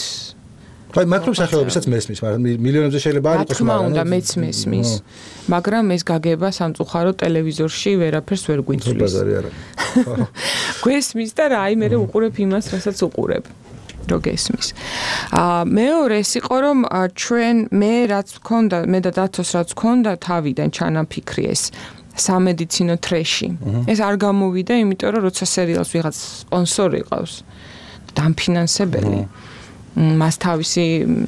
აი მაგრობ სახეობისაც მესმის, მაგრამ მილიონებზე შეიძლება არ იყოს, მაგრამ უნდა მეც მესმის. მაგრამ ეს გაგება სამწუხარო ტელევიზორში ვერაფერს ვერ გვიწვლის. ბაზარი არა. გვესმის და რა, აი მე უყურებ იმას, რასაც უყურებ. რო გესმის. აა მეორე ის იყო რომ ჩვენ მე რაც ვქონდა, მე და დათოს რაც ვქონდა თავიდან ჩანაფიქრი ეს სამედიცინო ტრეში. ეს არ გამოვიდა, იმიტომ რომ როცა სერიალს ვიღაც სპონსორი ყავს, დამფინანსებელი. მას თავისი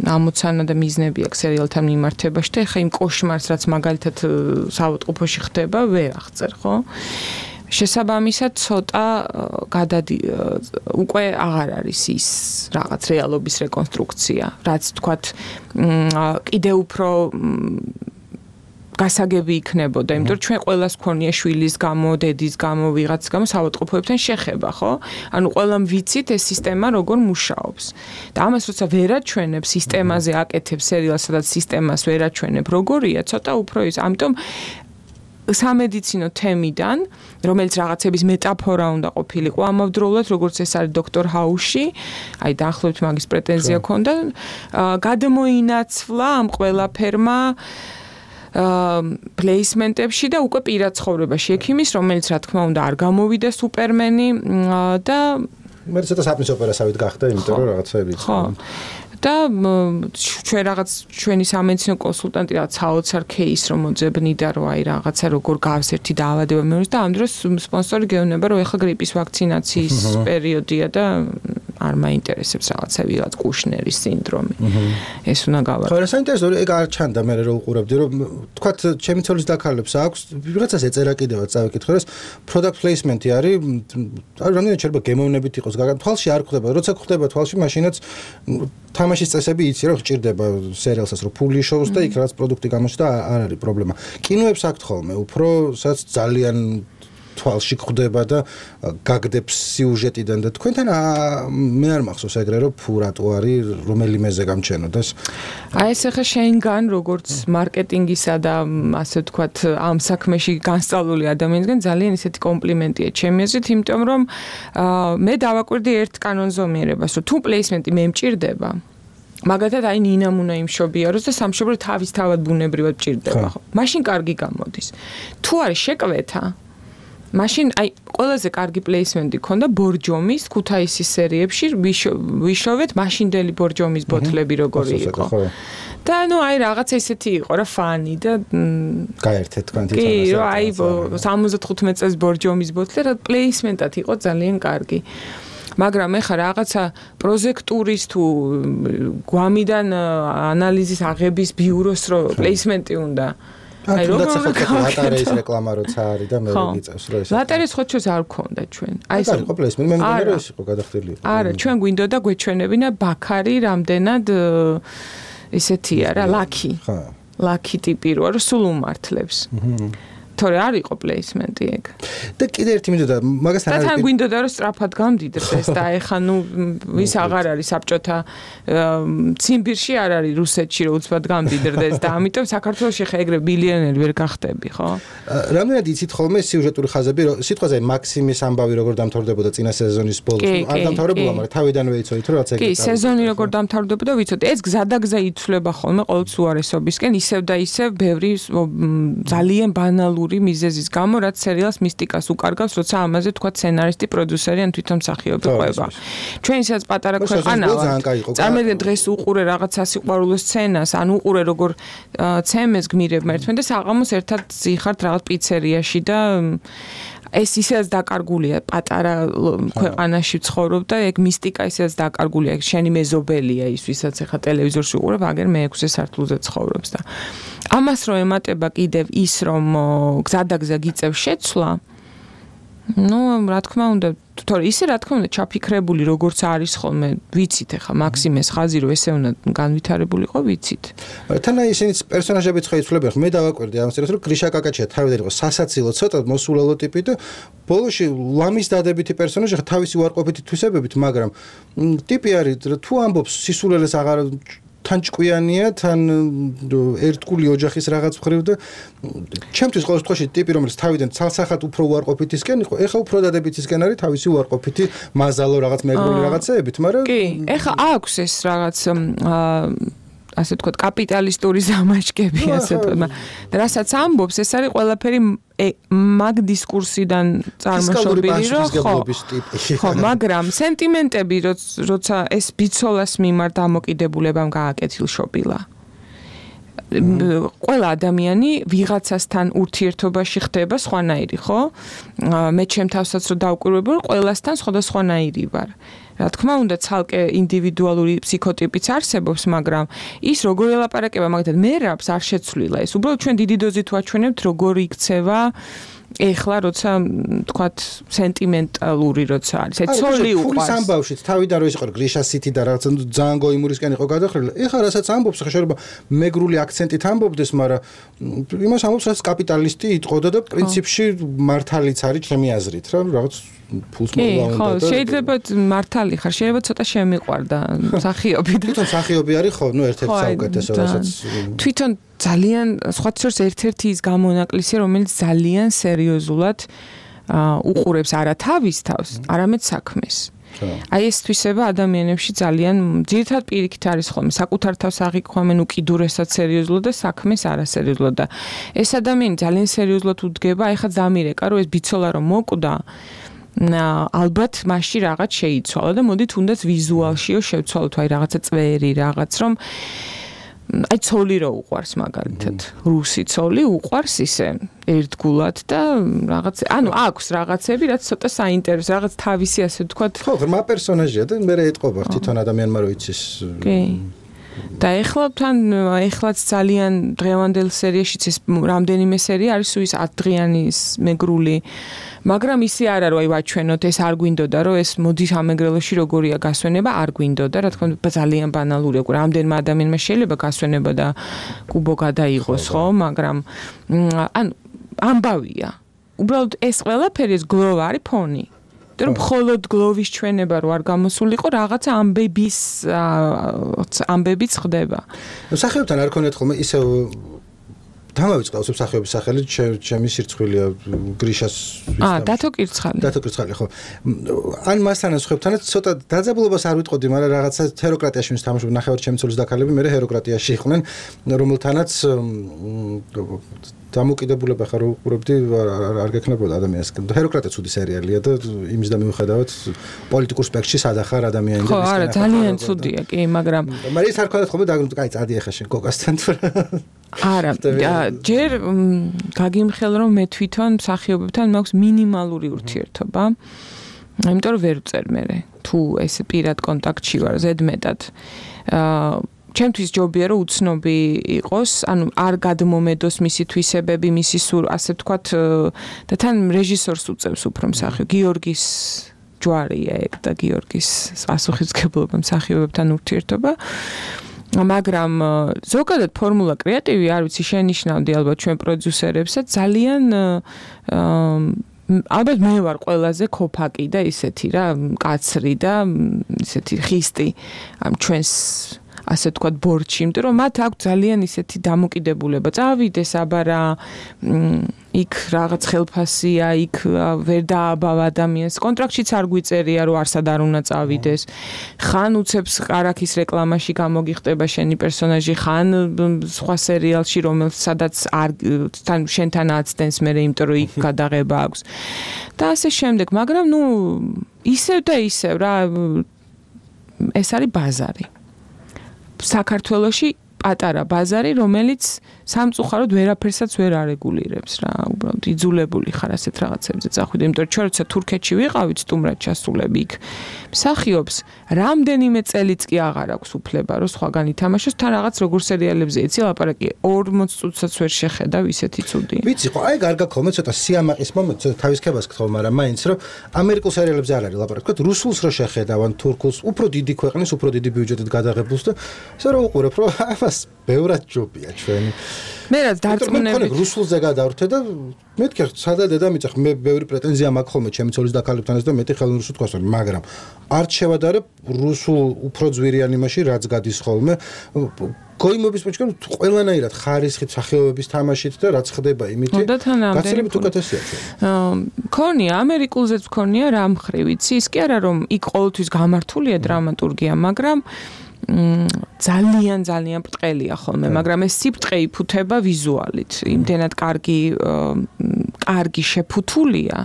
ამოცანა და მიზნები აქვს სერიალთან მიმართებაში და ეხა იმ კოშმარს რაც მაგალითად საავადმყოფოში ხდება, ვერ აღწერ, ხო? შესაბამისად ცოტა გადადი უკვე აღარ არის ის რაღაც რეალობის რეკონსტრუქცია, რაც თქვათ კიდე უფრო გასაგები იქნებოდა, იმიტომ რომ ჩვენ ყველას ქონია შვილის გამო, დედის გამო, ვიღაც გამო საავადმყოფოებთან შეხება, ხო? ანუ ყველამ ვიცით ეს სისტემა როგორ მუშაობს. და ამას როცა ვერაჩვენებ, სისტემაზე აკეთებ სერიალს, სადაც სისტემას ვერაჩვენებ, როგორია, ცოტა უფრო ის. ამიტომ სამედიცინო თემიდან, რომელიც რაღაცების მეტაფორა უნდა ყოფილიყო, ამავდროულად, როგორც ეს არის დოქტორ ჰაუსში, აი დაახლოებით მაგის პრეტენზია ქონდა, გადმოინაცვლა ამ ყველაფერმა პლეისმენტებში და უკვე პირად ცხოვრებაში ექიმის, რომელიც რა თქმა უნდა არ გამოვიდა სუპერმენი და მე ცოტა საფნის ოპერასავით გახდა, იმიტომ რომ რაღაცები ხო. და ჩვენ რაღაც ჩვენი სამედიცინო კონსულტანტი რაღაც საოცარ кейს რომ მოძებნიდა რომ აი რაღაცა როგორ გავს ერთი დაავადება მეურვეს და ამ დროს სპონსორი გეუბნება რომ ეხლა გრიპის ვაქცინაციის პერიოდია და არ მაინტერესებს რაღაცა ვიღაც კუშნერის სინდრომი. ეს უნდა გავაკეთო. ხო, რა საინტერესოა, ეგ არ ჩანდა მე რომ უყურებდი, რომ თქვათ ჩემი ცოლის დაქალებს აქვს, ვიღაცას ეწერა კიდევაც წავიკითხე, რომ product placement-ი არის, არ რამდენად შეიძლება გემოვნებით იყოს, გაგან თვალში არ ხდება, როცა ხდება თვალში, მაშინაც თამაშის წესები იცი რომ გჭირდება სერიალსაც რომ ფული შოუს და იქ რაღაც პროდუქტი გამოჩნდა არ არის პრობლემა. კინოებს აქვთ ხოლმე, უფრო სადაც ძალიან თვალში ხდება და გაგდებს სიუჟეტიდან და თქვენთან მე არ მახსოვს ეგრე რომ ფუ რატო არის რომელიმეზე გამჩენოდეს. აი ეს ახლა შენგან როგორც მარკეტინგისა და ასე ვთქვათ ამ საქმეში განსწავლული ადამიანისგან ძალიან ისეთი კომპლიმენტია ჩემი აზრით, იმიტომ რომ მე დავაკვირდი ერთ კანონზომიერებას, რომ თუ პლეისმენტი მე მჭირდება მაგათად აი ნინამ უნდა იმშობიაროს და სამშობლო თავისთავად ბუნებრივად მჭირდება ხო? მაშინ კარგი გამოდის. თუ არის შეკვეთა მაშინ აი ყველაზე კარგი პლეისმენტი ქონდა ბორჯომის ქუთაისის სერიებში ვიშოვეთ მაშინდელი ბორჯომის ბოთლები როგორი იყო. და ნუ აი რაღაც ესეთი იყო რა ფანი და გაერთეთ თქვენ თვითონ კი რა აი სამოცდათხუთმეტ წელს ბორჯომის ბოთლი რა პლეისმენტად იყო ძალიან კარგი. მაგრამ ეხა რაღაცა პროჟექტურის თუ გვამიდან ანალიზის აღების ბიუროს რო პლეისმენტი უნდა აი როგორ ლატარეის რეკლამა როცა არის და მე ვიწევს რომ ეს ლატარეს ხო ჩვენს არ გქონდა ჩვენ აი ეს იყო პლეისმენტი მე მგონი რომ ეს იყო გადახდილი არა ჩვენ გვინდოდა გვეჩვენებინა ბაქარი რამდენად ესეთია რა ლაკი ხო ლაკი ტიპი როა რომ სულ უმართლებს თორე არ იყო პლეისმენტი ეგ. და კიდე ერთი მინდოდა მაგასთან არის. და თან გვინდოდა რომ სწრაფად გამდიდრდეს და ეხა ნუ ვის აღარ არის საბჭოთა ციმბირში არ არის რუსეთში რომ უცბად გამდიდრდეს და ამიტომ საქართველოში ხა ეგრე ბილიონერი ვერ გახდები, ხო? რამდენად იცით ხოლმე სიუჟეტური ხაზები, სიტყვაზე მაქსიმის ამბავი როგორ დამთავრდებოდა წინა სეზონის ბოლოს. არ დამთავრებულა, მაგრამ თავიდანვე იცოდით რომ რაც ეგრე. კი, სეზონი როგორ დამთავრდებოდა ვიცოდი. ეს გზადაგზა იცვლება ხოლმე ყოველთვის უარესობისკენ, ისევ და ისევ ბევრი ძალიან ბანალური მიზეზის გამო, რაც სერიალს მისტიკას უკარგავს, როცა ამაზე თქვა სცენარისტი, პროდიუსერი ან თვითონ მსახიობი ყვება. ჩვენ ისაც პატარა ქვეყანა ვართ. წარმოგიდგენთ დღეს უყურე რაღაცა სიყვარულო სცენას, ან უყურე როგორ ცემეს გმირებმა ერთმანეთს და საღამოს ერთად ზიხართ რაღაც პიცერიაში და ეს ისედაც დაკარგულია პატარა ქვეყანაში ცხოვრობ და ეგ მისტიკა ისედაც დაკარგულია. შენი მეზობელია ის, ვისაც ახლა ტელევიზორში უყურებ, აგერ მეექვსე სართულზე ცხოვრობს და ამას რომ ემატება კიდევ ის რომ გზადაგზა გიწევს შეცვლა ну რა თქმა უნდა თორე ისე რა თქმა უნდა ჩაფიქრებული როგორც არის ხოლმე ვიცით ახლა მაქსიმეს ხაზი რომ ესე უნდა განვითარებულიყო ვიცით თან აი ისინი პერსონაჟებიც ხო იცვლებიან მე დავაკვირდი ამას რომ გრიშა კაკაჩია თავიდან იყო სასაცილო ცოტა მოსულელო ტიპი და ბოლოში ლამის დადებითი პერსონაჟი ხა თავისი უარყოფითი თვისებებით მაგრამ ტიპი არის თუ ამბობს სისულელეს აღარ თან ჭკვიანია, თან ერთგული ოჯახის რაღაც მხრივ და ჩემთვის ყოველ შემთხვევაში ტიპი რომელიც თავიდან ცალსახად უფრო უარყოფითისკენ იყო, ეხა უფრო დადებითისკენ არის თავისი უარყოფითი მაზალო რაღაც მეგრული რაღაცეებით, მაგრამ კი, ეხა აქვს ეს რაღაც ასე ვთქვათ კაპიტალისტური ზამაჩკები ასე ვთქვათ, რასაც ამბობს, ეს არის ყველაფერი მაგ დისკურსიდან წარმოშობილი რომ ხო, მაგრამ სენტიმენტები როცა ეს ბიცოლას მიმართ დამოკიდებულებამ გააკეთილშობილა. ყველა ადამიანი ვიღაცასთან ურთიერთობაში ხდება სხვანაირი, ხო? მე ჩემ თავსაც რო დავკვირვებულ, ყველასთან სხვადასხვანაირი ვარ. რა თქმა უნდა, ცალკე ინდივიდუალური ფსიქოტიპიც არსებობს, მაგრამ ის როგორ ელაპარაკება, მაგალითად, მერაბს არ შეცვლილა ეს. უბრალოდ ჩვენ დიდი დოზით ვაჩვენებთ, როგორ იქცევა ეხლა როცა თქვათ სენტიმენტალური როცა არის ეს ცოლი უყვარს ფულის ამბავშიც თავიდან რო ისიყო გრიშასითი და რაღაც ძალიან გოიმურისკენ იყო გადახრილი ეხლა რასაც ამბობს ხა შეიძლება მეგრული აქცენტით ამბობდეს მაგრამ იმას ამბობს რაც კაპიტალისტი იტყოდა და პრინციპში მართალიც არის ჩემი აზრით რა რაღაც ფულს მოვა უნდა და შეიძლება მართალი ხარ შეიძლება ცოტა შემიყვარდა მსახიობი და თვითონ მსახიობი არის ხო ნუ ერთ-ერთი საუკეთესო რასაც თვითონ ძალიან სხვა შორს ერთ-ერთი ის გამონაკლისია რომელიც ძალიან სერიოზულად უყურებს არა თავის თავს არამედ საქმეს აი ეს თვისება ადამიანებში ძალიან ძირითადად პირიქით არის ხოლმე საკუთარ თავს აღიქვამენ უკიდურესად სერიოზულად და საქმეს არასერიოზულად და ეს ადამიანი ძალიან სერიოზულად უდგება აი ხა ზამირეკა რომ ეს ბიცოლა რომ მოკვდა ალბათ მასში რაღაც შეიცვალა და მოდით თუნდაც ვიზუალშიო შევცვალოთ აი რაღაცა წვერი რაღაც რომ აი ცოლი რო უყვარს მაგალითად რუსი ცოლი უყვარს ისე ერთგულად და რაღაც ანუ აქვს რაღაცები რაც ცოტა საინტერესო რაღაც თავისი ასე ვთქვათ ხო ღრმა პერსონაჟია და მე ეტყობა თვითონ ადამიანმა რო იცის კი და ეხლა თან ეხლაც ძალიან დღევანდელ სერიაშიც ეს რამდენიმე სერია არის ის ათდღიანის მეგრული მაგრამ ისე არა რომ აი ვაჩვენოთ ეს არ გვინდოდა რომ ეს მოდის ამეგრელოში როგორია გასვენება არ გვინდოდა რა თქმა უნდა ძალიან ბანალურია რამდენმა ადამიანმა შეიძლება გასვენება და კუბო გადაიღოს ხო მაგრამ ანუ ამბავია უბრალოდ ეს ყველაფერი ეს გლოვა არის ფონი და რომ მხოლოდ გლოვის ჩვენება რო არ გამოსულიყო რაღაცა ამბების ამბებიც ხდება სახეობთან არ ქონიათ ხოლმე ისე დამავიწყდა მსახიობის სახელით ჩემი სირცხვილია გრიშას აა დათო კირცხალი დათო კირცხალი ხო ან მასთან სხვებთანაც ცოტა დაძაბულობას არ ვიტყოდი მაგრამ რაღაცა ჰეროკრატიაში ვის თამაშობდნენ ნახევარ ჩემი ცოლის დაქალები მე ჰეროკრატიაში იყვნენ რომელთანაც დამოკიდებულება ხარ უყურებდი არ გექნებოდა ადამიანს ჰეროკრატე ცუდი სერიალია და იმის და მიუხედავად პოლიტიკურ სპექტრში სადახარ ადამიანი და ხო არა ძალიან ცუდია კი მაგრამ მაგრამ ის არ ქონდათ ხოლმე და კაი წადი ახლა შენ კოკასთან თუ არა ჯერ გაგიმხელ რომ მე თვითონ მსახიობებთან მაქვს მინიმალური ურთიერთობა იმიტომ რომ ვერ ვწერ მე თუ ეს პირად კონტაქტში ვარ ზედმეტად აა ჩემთვის ჯობია რომ უცნობი იყოს, ანუ არ გადმომედოს მისი თვისებები, მისი სულ ასე ვთქვათ და თან რეჟისორს უწევს უფრო მსახიობ გიორგის ჯვარია ეგ და გიორგის პასუხისმგებლობა მსახიობებთან ურთიერთობა. მაგრამ ზოგადად ფორმულა კრეატივი არ ვიცი შენიშნავდი ალბათ ჩვენ პროდიუსერებსაც ძალიან ალბათ მე ვარ ყველაზე ქოფაკი და ისეთი რა კაცრი და ისეთი ხისტი ამ ჩვენს ასე ვთქვათ ბორჩი, იმიტომ რომ მათ აქვს ძალიან ისეთი დამოკიდებულება. წავიდეს აბარა იქ რაღაც ხელფასია, იქ ვერ დააბავ ადამიანს. კონტრაქტშიც არ გვიწერია, რომ არსად არ უნდა წავიდეს. ხან უცებს ყარაქის რეკლამაში გამოგიხდება შენი პერსონაჟი, ხან სხვა სერიალში, რომელიც სადაც არ თან შენთან აცდენს მე, იმიტომ რომ იქ გადაღება აქვს. და ასე შემდეგ, მაგრამ ნუ ისევ და ისევ რა ეს არის ბაზარი. საქართველოში პატარა ბაზარი, რომელიც სამწუხაროდ ვერაფერსაც ვერ არეგულირებს რა, უბრალოდ იძულებული ხარ ასეთ რაღაცებზე წახვიდე, იმიტომ რომ ჩვენ როცა თურქეთში ვიყავით სტუმრად ჩასულები იქ, მსახიობს რამდენიმე წელიც კი აღარ აქვს უფლება, რომ სხვაგან ითამაშოს, თან რაღაც როგორ სერიალებზე იცი ლაპარაკი ორმოც წუთსაც ვერ შეხედავ ისეთი ცუდი. ვიცი ხო, აი გარდა ხოლმე ცოტა სიამაყის მომენტ, ცოტა თავის ქებას გთხოვ, მაგრამ მაინც რომ ამერიკულ სერიალებზე არ არის ლაპარაკი, თქვა რუსულს რო შეხედავან, თურქულს, უფრო დიდი ქვეყნის, უფრო დიდი ბიუჯეტით გადაღებულს და ისე რომ უყურებ, რომ ამას ბევრად ჯობია ჩვენი. მე რაც დარწმუნებით რუსულზე გადავრთე და მეთქე სადა დედამიწა მე ბევრი პრეტენზია მაქვს ხოლმე ჩემი ცოლის დაქალებთან და მეტი ხელოვნური რუსულ თქვას მაგრამ არ შევადარებ რუსულ უფრო ძვირიან იმაში რაც გადის ხოლმე გოიმობის პოჩკან ყველანაირად ხარისხით სახეობების თამაშით და რაც ხდება იმითი გაცილებით უკეთესია ქონია ამერიკულზეც ქონია რა მხრივ იცი ის კი არა რომ იქ ყოველთვის გამართულია დრამატურგია მაგრამ ძალიან ძალიან ბრტყელია ხოლმე, მაგრამ ეს სიბრტყე იფუთება ვიზუალით. იმდენად კარგი კარგი შეფუთულია,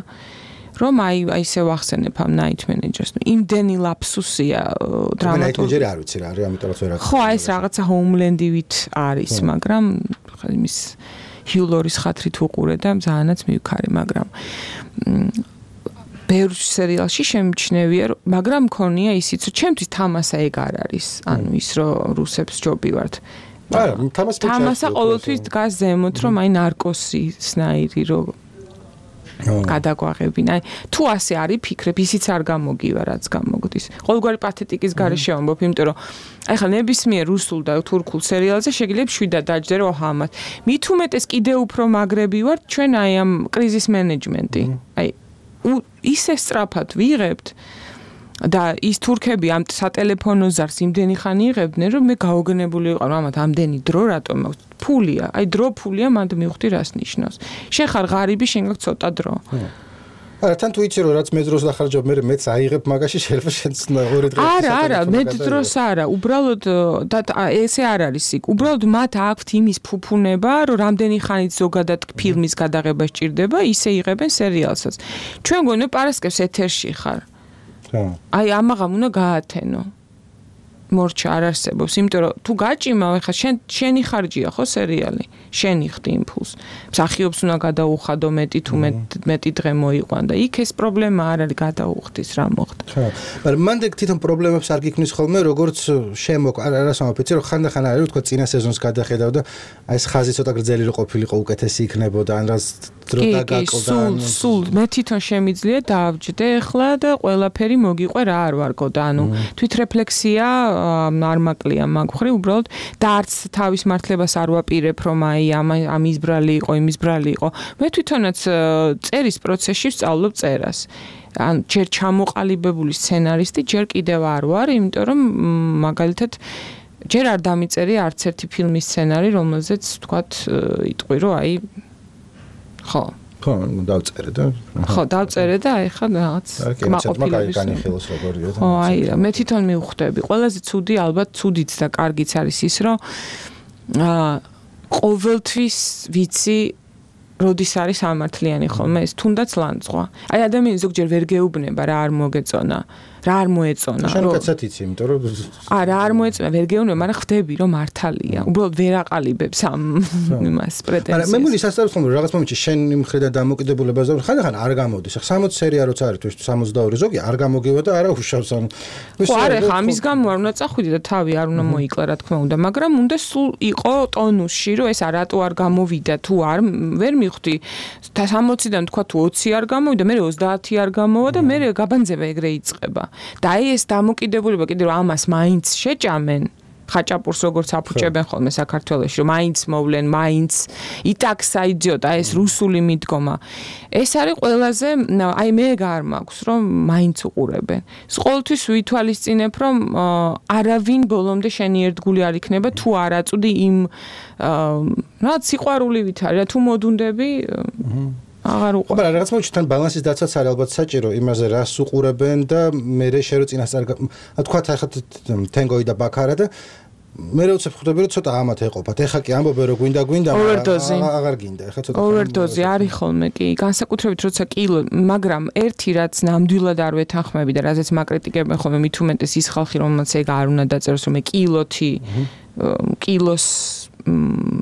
რომ აი აი ისე ვახსენებ ამ Night Manager-ს. იმდენი ლაფსუსია დრამატურგი. Night Manager არ ვიცი რა არის, ამიტომაც ვერ აქვს. ხო, აი ეს რაღაცა Homeland-ივით არის, მაგრამ იმის Hugh-Laurie-ის ხათრით უყურე და ძალიანაც მივიქარი, მაგრამ ბევრ სერიალში შემჩნევია, მაგრამ მქონია ისიც, რომ ჩემთვის თამასა ეგ არ არის. ანუ ის რომ რუსებს ჯობი ვართ. არა, თამასა თამასა ყოველთვის დგას ზემოთ, რომ აი ნარკოსი სნაირი რომ გადაგვაღებინა. აი თუ ასე არის ფიქრებ, ისიც არ გამოგივა, რაც გამოგდის. ყოველგვარი პათეტიკის გარეშე ვამბობ, იმიტომ რომ აი ხა ნებისმიერ რუსულ და თურქულ სერიალზე შეგიძლია შვიდად დაჯდე რომ აჰა ამას. მით უმეტეს კიდე უფრო მაგრები ვართ ჩვენ აი ამ კრიზის მენეჯმენტი. აი ისე სწრაფად ვიღებთ და ის თურქები ამ სატელეფონო ზარს იმდენი ხანი იღებდნენ რომ მე გაოგნებული ვიყავ ამათ ამდენი დრო რატომ ფულია აი დრო ფულია მანდ მივხვდი რას ნიშნავს შენ ხარ ღარიბი შენ გაქვს ცოტა დრო არა თან თუ იცი რომ რაც მე დროს დახარჯავ მე მეც აიღებ მაგაში შეიძლება შენც ორი დღე არა არა მე დროს არა უბრალოდ და ესე არ არის იქ უბრალოდ მათ აქვთ იმის ფუფუნება რომ რამდენი ხანით ზოგადად ფილმის გადაღება სჭირდება ისე იღებენ სერიალსაც ჩვენ გონე პარასკევს ეთერში ხარ აი ამაღამ უნდა გაათენო მორჩა არ არსებობს იმიტომ რომ თუ გაჭიმავ ეხა შენ შენი ხარჯია ხო სერიალი შენი ხდი იმპულს მსახიობს უნდა გადაუხადო მეტი თუ მეტი დღე მოიყვან და იქ ეს პრობლემა არ არის გადაუხდის რა მოხდა ხო მაგრამ მანდ თვითონ პრობლემებს არ გიქმნის ხოლმე როგორც შემოკ არას ამაფიცი რომ ხანდახან არის თქო წინა სეზონს გადახედავ და აი ეს ხაზი ცოტა გრძელი რო ყოფილიყო უკეთესი იქნებოდა ან რას დრო დაგაკლდა სულ სულ მე თვითონ შემიძლია დავჯდე ახლა და ყველაფერი მოგიყვე რა არ ვარგო და ანუ თვითრეფლექსია არ მაკლია მაგ ხრი უბრალოდ და არც თავის მართლებას არ ვაპირებ რომ აი ამ ამის ბრალი იყო იმის ბრალი იყო მე თვითონაც წერის პროცესში ვსწავლობ წერას ან ჯერ ჩამოყალიბებული სცენარისტი ჯერ კიდევ არ ვარ იმიტომ რომ მაგალითად ჯერ არ დამიწერი არც ერთი ფილმის სცენარი რომელზეც თქვათ იტყვი რომ აი ხო ხო დავწერე და ხო დავწერე და აი ხა რაღაც კმაყოფილების განიხილოს როგორია ხო აი მე თვითონ მივხვდები ყველაზე ცუდი ალბათ ცუდიც და კარგიც არის ის რომ აა ყოველთვის ვიცი როდის არის ამართლიანი ხოლმე ეს თუნდაც ლანძღვა აი ადამიანი ზოგჯერ ვერ გეუბნება რა არ მოგეწონა რა არ მოეწონა შენ კაცად იცი იმიტომ რომ არა არ მოეწონა ვერ გეუბნება მაგრამ ხვდები რომ მართალია უბრალოდ ვერ აყალიბებს ამ იმას პრეტენზიას მაგრამ მე მული სასწაულს ხომ რაღაც მომენტში შენ იმხრიდან დამოკიდებულებას და ხანდახან არ გამოდის ახლა სამოცი სერია როცა არის თუ სამოცდაორი ზოგი არ გამოგივა და არა უშავს ან ხო არა ხა ამის გამო არ უნდა წახვიდე და თავი არ უნდა მოიკლა რა თქმა უნდა მაგრამ უნდა სულ იყო ტონუსში რომ ეს რატო არ გამოვიდა თუ არ ვერ მივხვდი სამოციდან თქვა თუ ოცი არ გამოვიდა მე ოცდაათი არ გამოვა და მე გაბანძება ეგრე იწყება და აი ეს დამოკიდებულება კიდე რომ ამას მაინც შეჭამენ ხაჭაპურს როგორც აფუჭებენ ხოლმე საქართველოში რომ მაინც მოვლენ მაინც იტაქსა იძიოტა ეს რუსული მიდგომა ეს არის ყველაზე აი მე გარ მაქვს რომ მაინც უყურებენ ეს ყოველთვის ვითვალისწინებ რომ არავინ ბოლომდე შენი ერთგული არ იქნება თუ არ აწვდი იმ რა სიყვარულივით არის თუ მოდუნდები აღარ უყურებ. მაგრამ რაღაც მომენტში თან ბალანსის დაცვაც არის ალბათ საჭირო იმაზე რას უყურებენ და მე შერო წინასწარ თქვა ახლა თენგოი და ბაქარა და მე როცა ხვდები რომ ცოტა ამათ ეყოფათ. ეხა კი ამბობენ რომ გვინდა გვინდა აღარ გინდა. ეხა ცოტა ოვერდოზი არის ხოლმე კი განსაკუთრებით როცა კილო მაგრამ ერთი რაც ნამდვილად არ ვეთანხმები და რაზეც მაკრიტიკებენ ხოლმე მით უმეტეს ის ხალხი რომელსაც ეგ არ უნდა დაწეროს რომ მე კილოთი კილოს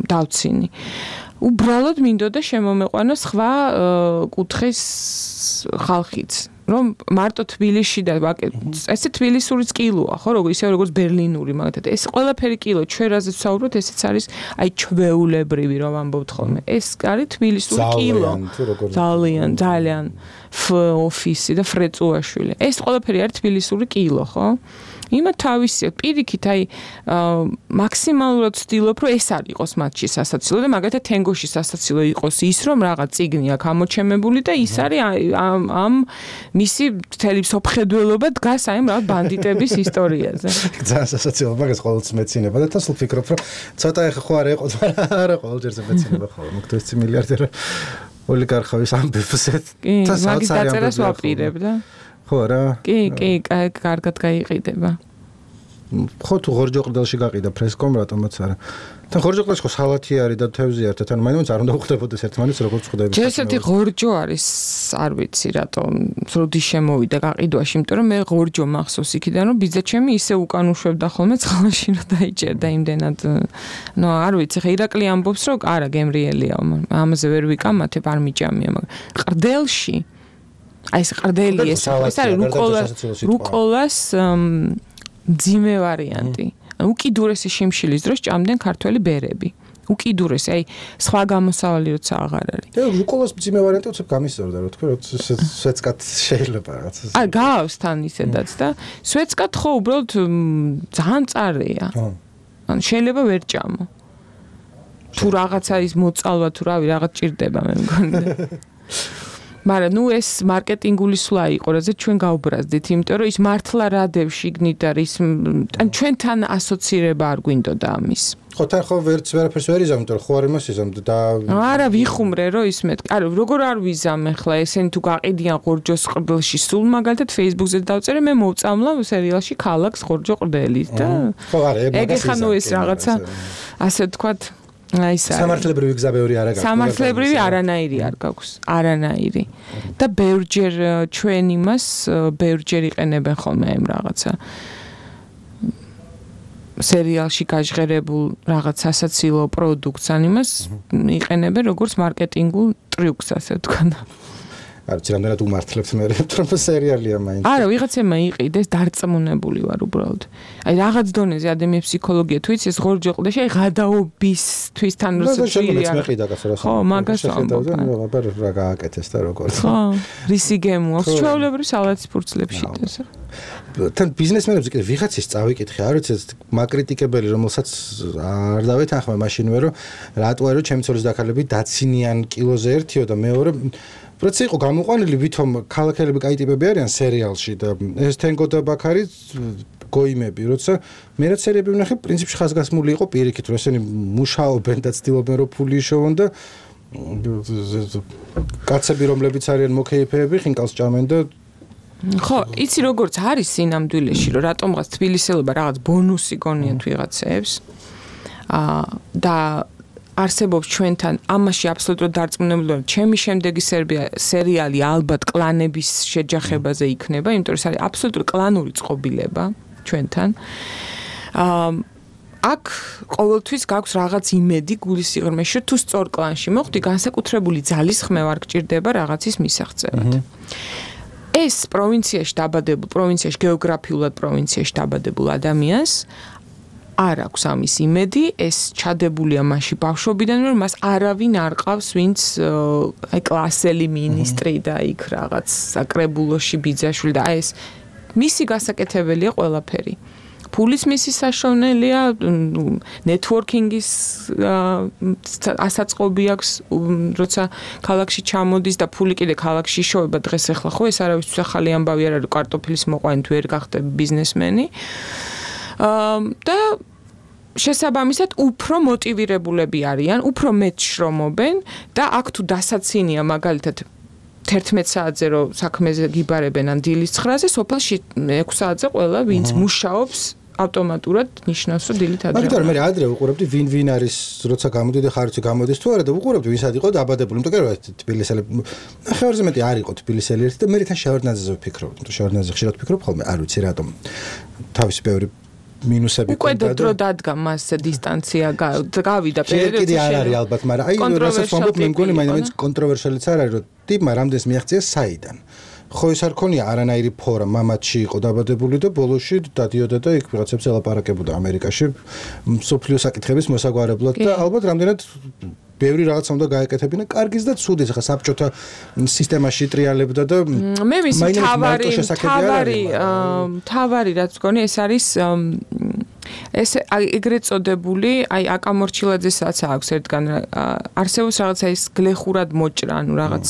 დავცინი. უბრალოდ მინდოდა შემომეყვანა სხვა კუთხის ხალხიც რომ მარტო თბილისში და ესე თბილისურიც კილოა ხო როგორ ისე როგორც ბერლინური მაგათად ეს ყველაფერი კილო ჩვენ რაზეც ვსაუბრობთ ესეც არის აი ჩვეულებრივი რომ ამბობთ ხოლმე ეს არის თბილისური კილო ძალიან ძალიან ოფისი და ფრეწუაშვილი ეს ყველაფერი არის თბილისური კილო ხო იმა თავისი პირიქით აი მაქსიმალურად ვცდილობ რომ ეს არ იყოს მათში სასაცილო და მაგალითად თენგოში სასაცილო იყოს ის რომ რაღაც წიგნი აქვს ამოჩემებული და ის არის ამ ამ მისი მთელი სოფხედველობა დგას აი ამ რაღაც ბანდიტების ისტორიაზე ძალიან სასაცილო მაგას ყოველთვის მეცინება და თასულ ფიქრობ რომ ცოტა ეხა ხო არ ეყოთ არა ყოველჯერზე მეცინება ხო მოგდოს მილიარდერი ოლიგარხების ამბებს და მაგის დაწერას ვაპირებ და ხო რა კი კი კარგად გაიყიდება ხო თუ ღორჯოყრდელში გაყიდა ფრესკომ რატომაც არა თან ღორჯოყრდელში ხო სალათი არის და თევზი არის თან მაინც არ უნდა უხდებოდეს ერთმანეთს როგორც ხვდები ჯერსეთი ღორჯო არის არ ვიცი რატომ როდი შემოვიდა გაყიდვაში იმიტომ რომ მე ღორჯო მახსოვს იქიდან რომ ბიძა ჩემი ისე უკან უშვებდა ხოლმე წყალში რომ დაიჭერდა იმდენად ნუ არ ვიცი ხა ირაკლი ამბობს რომ არა გემრიელია ამაზე ვერ ვიკამათებ არ მიჭამია მაგრამ ყრდელში აი ეს ყრდელი ეს ეს არის რუკოლას რუკოლას ძიმე ვარიანტი. უკიდურესი შიმშილის დროს ჭამდნენ ქართველი ბერები. უკიდურესი, აი სხვა გამოსავალი როცა აღარ არის. და რუკოლას მძიმე ვარიანტი უცებ გამისწორდა, რა თქვა, რომ სვეცკად შეიძლება რაღაც. აი გავს თან ისედაც და სვეცკად ხო უბრალოდ ძალიან წარეა. ან შეიძლება ვერ ჭამო. თუ რაღაცა ის მოწალვა თუ რავი რაღაც ჭირდება მე მგონი. მაგრამ ნუ ეს მარკეტინგული სვლა იყო, რაზე ჩვენ გავბრაზდით, იმიტომ რომ ის მართლა რადევში გნით და ის ან ჩვენთან ასოცირება არ გვინდოდა ამის. ხო თან ხო ვერც ვერაფერს ვერ იზამ, იმიტომ რომ ხო არ იმას იზამ და არა ვიხუმრე რომ ის მე არა როგორ არ ვიზამ ახლა ესენი თუ გაყიდიან ხორჯოს ყრდელში სულ მაგალითად Facebook-ზე დავწერე მე მოვწამლა სერიალში ქალაქს ხორჯო ყრდელის და ხო არა ეგ ხა ნუ ეს რაღაცა ასე ვთქვათ აი ეს სამართლებრივი გზა ბევრი არ აქვს. სამართლებრივი არანაირი არ გაქვს, არანაირი. და ბევრჯერ ჩვენ იმას ბევრჯერ იყენებენ ხოლმე ამ რაღაცა სერიალში გაჟღერებულ რაღაც სასაცილო პროდუქტს ან იმას იყენებენ როგორც მარკეტინგულ ტრიუქს ასე ვთქვათ. არ ვიცი რამდენად უმართლებთ მე რომ სერიალია მაინც. არა, ვიღაცებმა იყიდეს დარწმუნებული ვარ უბრალოდ. აი რაღაც დონეზე ადამიანის ფსიქოლოგია თუ იცი ეს ღორჯო ყდეში აი გადაობისთვის თან როცა შეიძლება მეყიდა კაცო რა. ხო, მაგას ვამბობ. აბა რა გააკეთეს და როგორ. ხო, რისი გემო აქვს ჩვეულებრივ სალათის ფურცლებში და ასე. თან ბიზნესმენებს კიდე ვიღაცის წავიკითხე, არ ვიცი ეს მაკრიტიკებელი რომელსაც არ დავეთანხმე მაშინვე რომ რატო არის ჩემი ცოლის დაქალები დაცინიან კილოზე ერთიო და მეორე პროცესი იყო გამოყვანილი ვითომ ქალაქელები კაი ტიპები არიან სერიალში და ეს თენგო და ბაქარი გოიმები როცა მე რაც სერიები ვნახე პრინციპში ხაზგასმული იყო პირიქით რომ ესენი მუშაობენ და ცდილობენ რომ ფული იშოვონ და კაცები რომლებიც არიან მოკეიფეები ხინკალს ჭამენ და ხო, იცი როგორც არის სინამდვილეში, რომ რატომღაც თბილისელობა რაღაც ბონუსი გონიათ ვიღაცებს. აა და არსებობს ჩვენთან ამაში აბსოლუტურად დარწმუნებული ვარ, ჩემი შემდეგი სერიალი ალბათ კლანების შეჯახებაზე იქნება, იმიტომ რომ ეს არის აბსოლუტურად კლანური წყობილება ჩვენთან. აა აქ ყოველთვის გაქვს რაღაც იმედი გულის სიღრმეში, რომ თუ სწორ კლანში მოხვდი, განსაკუთრებული ძალის ხმევა არ გჭირდება რაღაცის მისაღწევად. ეს პროვინციაში დაბადებულ, პროვინციაში გეოგრაფიულად პროვინციაში დაბადებულ ადამიანს არ აქვს ამის იმედი, ეს ჩადებულია მასში ბავშვობიდან, რომ მას არავინ არ ყავს, ვინც აი კლასელი მინისტრი და იქ რაღაც საკრებულოში ბიძაშვილი და აი ეს მისი გასაკეთებელია ყველაფერი. ფულის მისი საშოვნელია, ნეტვორკინგის ასაწყობი აქვს, როცა ქალაქში ჩამოდის და ფული კიდე ქალაქში იშოვება დღეს ახლა ხო ეს არავისთვის ახალი ამბავი არ არის კარტოფილის მოყვანი თუ ვერ გახდები ბიზნესმენი. და შესაბამისად უფრო მოტივირებულები არიან, უფრო მეტ შრომობენ და აქ თუ დასაცინია მაგალითად თერთმეტ საათზე რომ საქმეზე გიბარებენ ან დილის ცხრაზე, სოფელში ექვსი საათზე ყველა ვინც მუშაობს ავტომატურად ნიშნავს რომ დილით ადრე. მაგრამ მე ადრე ვუყურებდი ვინ ვინ არის როცა გამოდიდი ხარჯი გამოდის თუ არა და ვუყურებდი ვინც იყო დაბადებული. იმიტომ რომ თბილისელი ხევარზე მეტი არ იყო თბილისელი ერთი და მე თან შევარდნაძეზე ვფიქრობ. თუ შევარდნაძე ხშირად ვფიქრობ ხოლმე, არ ვიცი რატომ. თავისი ბევრი მინუსები უკვე დრო დადგა მას დისტანცია გავიდა პერიოდში. კიდე არ არის ალბათ, მაგრამ აი რასაც ვამბობ მე მგონი მაინც კონტროვერსიალიც არ არის რომ ტიპმა რამდენს მიაღწია საიდან. ხო ეს არ ქონია არანაირი ფორა, მამათში იყო დაბადებული და ბოლოში დადიოდა და იქ ვიღაცებს ელაპარაკებოდა ამერიკაში მსოფლიო საკითხების მოსაგვარებლად და ალბათ რამდენად ბევრი რაღაც უნდა გაეკეთებინა კარგის და ცუდის ახლა საბჭოთა სისტემაში ტრიალებდა და მე მისი თავარი თავარი თავარი რაც გონი ეს არის ეს ეგრეთ წოდებული აი აკამორჩილაძესაც აქვს ერთგან არსებობს რაღაცა ის გლეხურად მოჭრა ანუ რაღაც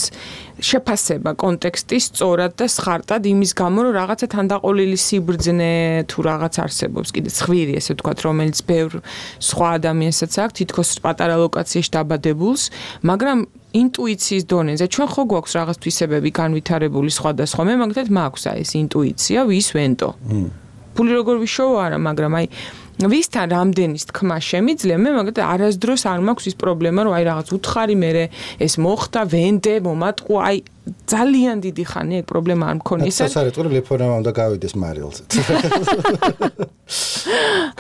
შეფასება კონტექსტის სწორად და სხარტად იმის გამო რომ რაღაცა თანდაყოლილი სიბრძნე თუ რაღაც არსებობს კიდე ცხვირი ესე ვთქვათ რომელიც ბევრ სხვა ადამიანსაც აქვს თითქოს პატარა ლოკაციაში დაბადებულს მაგრამ ინტუიციის დონეზე ჩვენ ხო გვაქვს რაღაც თვისებები განვითარებული სხვადასხვა მე მაგალითად მაქვს აი ეს ინტუიცია ვის ვენტო ფული როგორ ვიშოვო არა მაგრამ აი ვისთან რამდენის თქმა შემიძლია მე მაგალითად არასდროს არ მაქვს ის პრობლემა რომ აი რაღაც უთხარი მე ეს მოხდა ვენდე მომატყუ აი ძალიან დიდი ხანი ეგ პრობლემა არ მქონია ეს არის თორემ ლეფონამა უნდა გავიდეს მარილზე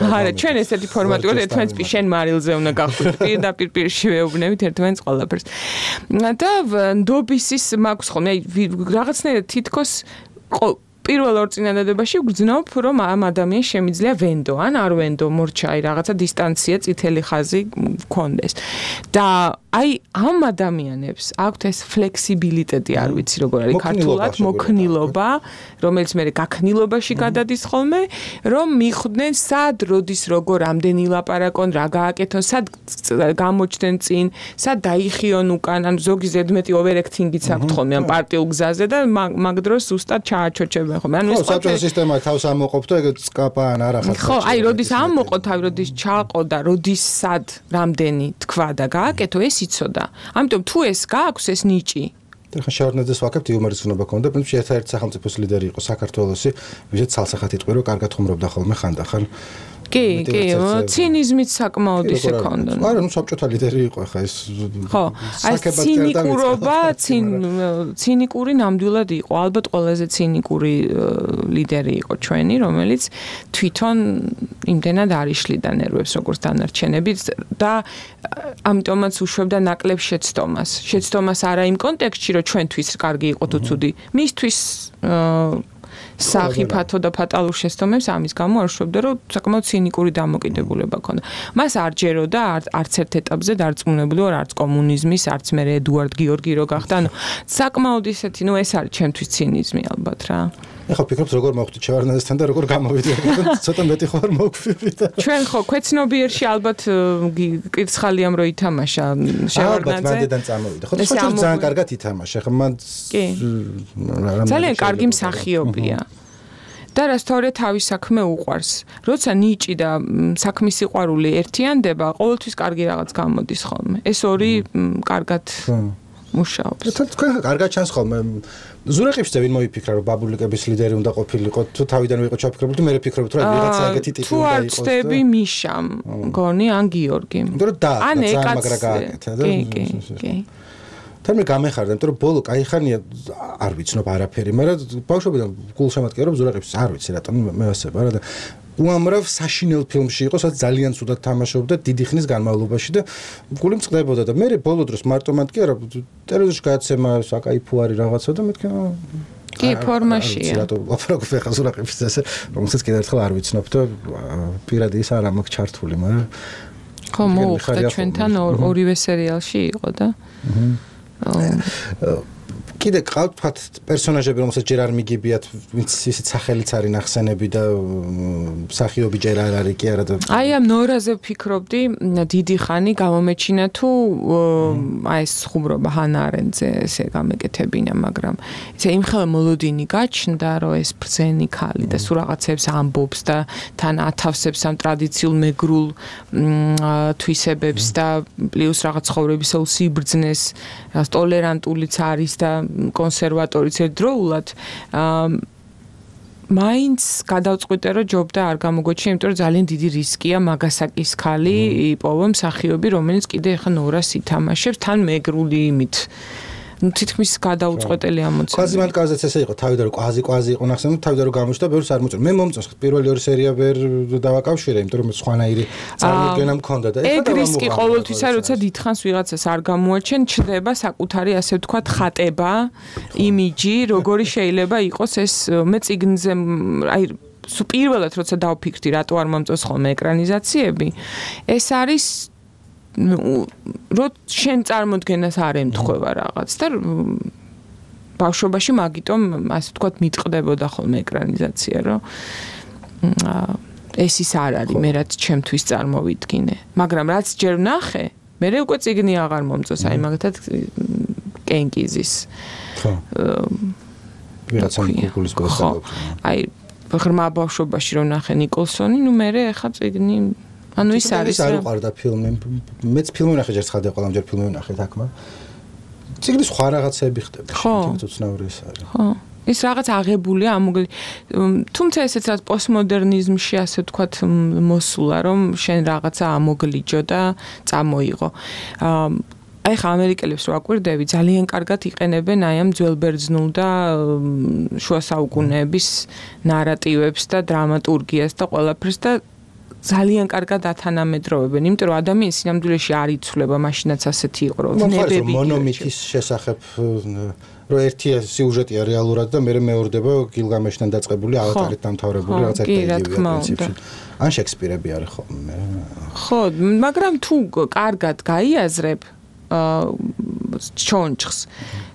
არა ჩვენ ესეთი ფორმატი ვარ ერთმანეთს შენ მარილზე უნდა გავხვიდე პირდაპირ პირში ვეუბნებით ერთმანეთს ყველაფერს და ნდობის ის მაქვს ხოლმე აი რაღაცნაირად თითქოს პირველ ორ წინადადებაში ვგრძნობ, რომ ამ ადამიანს შემიძლია ვენდო, ან არ ვენდო, მორჩა, აი რაღაცა დისტანცია, წითელი ხაზი გქონდეს. და აი ამ ადამიანებს აქვთ ეს ფლექსიბილიტეტი, არ ვიცი როგორ არის ქართულად, მოქნილობა, რომელიც მე გაქნილობაში გადადის ხოლმე, რომ მიხვდნენ სად, როდის, როგორ, რამდენი ლაპარაკონ, რა გააკეთონ, სად გამოჩდნენ წინ, სად დაიხიონ უკან, ან ზოგი ზედმეტი ოვერექტინგიც აქვთ ხოლმე ამ პარტიულ გზაზე და მაგ დროს ზუსტად ჩააჩოჩებენ ხოლმე. ანუ ეს საბჭოთა სისტემა თავს ამოყოფდა, ეგ წკაპა ან არახაც. ხო, აი როდის ამოყო თავი, როდის ჩაყო და როდის სად, რამდენი თქვა და გააკეთო, ეს იცოდა. ამიტომ თუ ეს გააქვს ეს ნიჭი ხა შევარდნაძეს ვაკებთ იუმორის ცნობა ქონდა, პრინციპში ერთ-ერთი სახელმწიფოს ლიდერი იყო საქართველოსი, ვისაც ცალსახად იტყვი, რომ კარგად ხუმრობდა ხოლმე ხანდახან. კი, კი, ცინიზმიც საკმაოდ ისე ქონდა. არა, ნუ საბჭოთა ლიდერი იყო ხა ეს. ხო, აი ცინიკურობა, ცინიკური ნამდვილად იყო, ალბათ ყველაზე ცინიკური ლიდერი იყო ჩვენი, რომელიც თვითონ იმდენად არ იშლიდა ნერვებს როგორც დანარჩენებით და ამიტომაც უშვებდა ნაკლებ შეცდომას. შეცდომას არა იმ კონტექსტში, რომ ჩვენთვის კარგი იყო თუ ცუდი, მისთვის სახიფათო და ფატალურ შეცდომებს ამის გამო არ შვებდა, რომ საკმაოდ ცინიკური დამოკიდებულება ქონდა. მას არ ჯეროდა არც ერთ ეტაპზე დარწმუნებული ვარ, არც კომუნიზმის, არც მე ედუარდ გიორგი რო გახდა. ანუ საკმაოდ ისეთი, ნუ ეს არის ჩემთვის ცინიზმი ალბათ რა. ეხლა ვფიქრობ როგორ მოვხვდი შევარდნაძესთან და როგორ გამოვიდე. ცოტა მეტი ხარ მოგხვდით. ჩვენ ხო ქვეცნობიერში ალბათ კირცხალიამ რო ითამაშა შევარდნაძე. ალბათ მანდედან წამოვიდა. ხო სხვა ძალიან კარგად ითამაშა. ხა მან ძალიან კარგი მსახიობია. და რასთავია თავის საქმე უყვარს. როცა ნიჭი და საქმის სიყვარული ერთიანდება, ყოველთვის კარგი რაღაც გამოდის ხოლმე. ეს ორი კარგად მუშაობს. თქვენ კარგად ჩანს ხოლმე. ზურაყიფშზე ვინ მოიფიქრა, რომ ბაბულიკების ლიდერი უნდა ყოფილიყო, თუ თავიდან ვიყო ჩაფიქრებული, მე ვფიქრობთ, რომ ვიღაცა ეგეთი ტიპი უნდა იყოს. თუ არ ცდები მიშამ, გონი ან გიორგიმ. ან ეკაც. კი, კი, კი. თან მე გამეხარდა, იმიტომ რომ ბოლო კაი ხანია არ ვიცნობ არაფერი, მაგრამ ბავშვობიდან გულშემატკივრობ ზურაყიფს არ ვიცი რატომ მე ვასება რა და უამრავ საშინელ ფილმში იყო, სადაც ძალიან ცუდად თამაშობდა დიდი ხნის განმავლობაში და გული მწყდებოდა და მე ბოლო დროს მარტო მანდ კი არა ტელევიზორში გადაცემა საკაიფო არის რაღაცა და მეთქი კი ფორმაშია. რატო ლაპარაკობ ხა ზურაყიფს ესე რომელსაც კიდევ ერთხელ არ ვიცნობ და პირადი ის არ ამაქვს ჩართული, მაგრამ ხო მოუხდა ჩვენთან ორივე სერიალში იყო და კიდე ყავთ თქვათ პერსონაჟები, რომელსაც ჯერ არ მიგებიათ, ვინც ისეთ სახელიც არის ნახსენები და მსახიობი ჯერ არ არის კი არა და აი ამ ნორაზე ვფიქრობდი დიდი ხანი გამომეჩინა თუ აი ეს ხუმრობა ჰანა არენძე ესე გამეკეთებინა, მაგრამ ისე იმხელა მოლოდინი გაჩნდა, რომ ეს ბრძენი ქალი და სულ რაღაცებს ამბობს და თან ათავსებს ამ ტრადიციულ მეგრულ თვისებებს და პლუს რაღაც ცხოვრებისეულ სიბრძნეს, ტოლერანტულიც არის და კონსერვატორიც ერთდროულად მაინც გადავწყვიტე რომ ჯობდა არ გამოგვეჩინა, იმიტომ რომ ძალიან დიდი რისკია მაგასაკის ხალი იპოვო მსახიობი, რომელიც კიდე ახლა ნორას ითამაშებს თან მეგრული იმით. ნუ თითქმის გადაუწყვეტელი ამოცანა. კვაზიმან კაზეც ესე იყო, თავიდან რომ კვაზი კვაზი იყო ნახსენები, თავიდან რომ გამოჩნდა, ბევრს არ მოწონს. მე მომწონს პირველი ორი სერია ვერ დავაკავშირე, იმიტომ რომ სხვანაირი წარმოდგენა მქონდა და ეხლა ეგ რისკი ყოველთვის არის, როცა დიდხანს ვიღაცას არ გამოაჩენ, ჩდება საკუთარი ასე ვთქვათ ხატება, იმიჯი, როგორი შეიძლება იყოს ეს მე წიგნზე აი პირველად როცა დავფიქრდი, რატო არ მომწონს ხოლმე ეკრანიზაციები, ეს არის რო შენ წარმოდგენას არ ემთხვევა რაღაც და ბავშვობაში მაგიტომ ასე ვთქვათ მიტყდებოდა ხოლმე ეკრანიზაცია, რომ ეს ის არ არის, მე რაც ჩემთვის წარმოვიდგინე. მაგრამ რაც ჯერ ვნახე, მე უკვე წიგნი აღარ მომწონს, აი მაგათად კენკიზის. ხო. ვიღაცა გუგლის გასაგებ. აი ღრმა ბავშვობაში რომ ვნახე ნიკოლსონი, ნუ მე ახლა წიგნი ანუ ის არის არ უყარდა ფილმი. მეც ფილმი ვნახე ჯერ ცხადია ყველამჯერ ფილმი ვნახე თქმა. წიგნი სხვა რაღაცები ხდება. ხო, უცნაური ის არის. ხო. ის რაღაც აღებულია ამოგლი. თუმცა ესეც რაც პოსტმოდერნიზმში ასე ვთქვათ მოსულა, რომ შენ რაღაცა ამოგლიჯო და წამოიღო. აი ხა ამერიკელებს რო აკვირდები, ძალიან კარგად იყენებენ აი ამ ძველბერძნულ და შუა საუკუნეების ნარატივებს და დრამატურგიას და ყველაფერს და ძალიან კარგად ათანამედროვებენ, იმიტომ რომ ადამიანის სინამდვილეში არ იცვლება, მაშინაც ასეთი იყო, რომ ნებები მონომითის შესახებ რომ ერთი სიუჟეტია რეალურად და მეორე მეორდება გილგამეშთან დაწყებული ავატარით დამთავრებული რაღაც ერთია პრინციპში. ან შექსპირები არის ხოლმე. ხო, მაგრამ თუ კარგად გაიაზრებ ჩონჩხს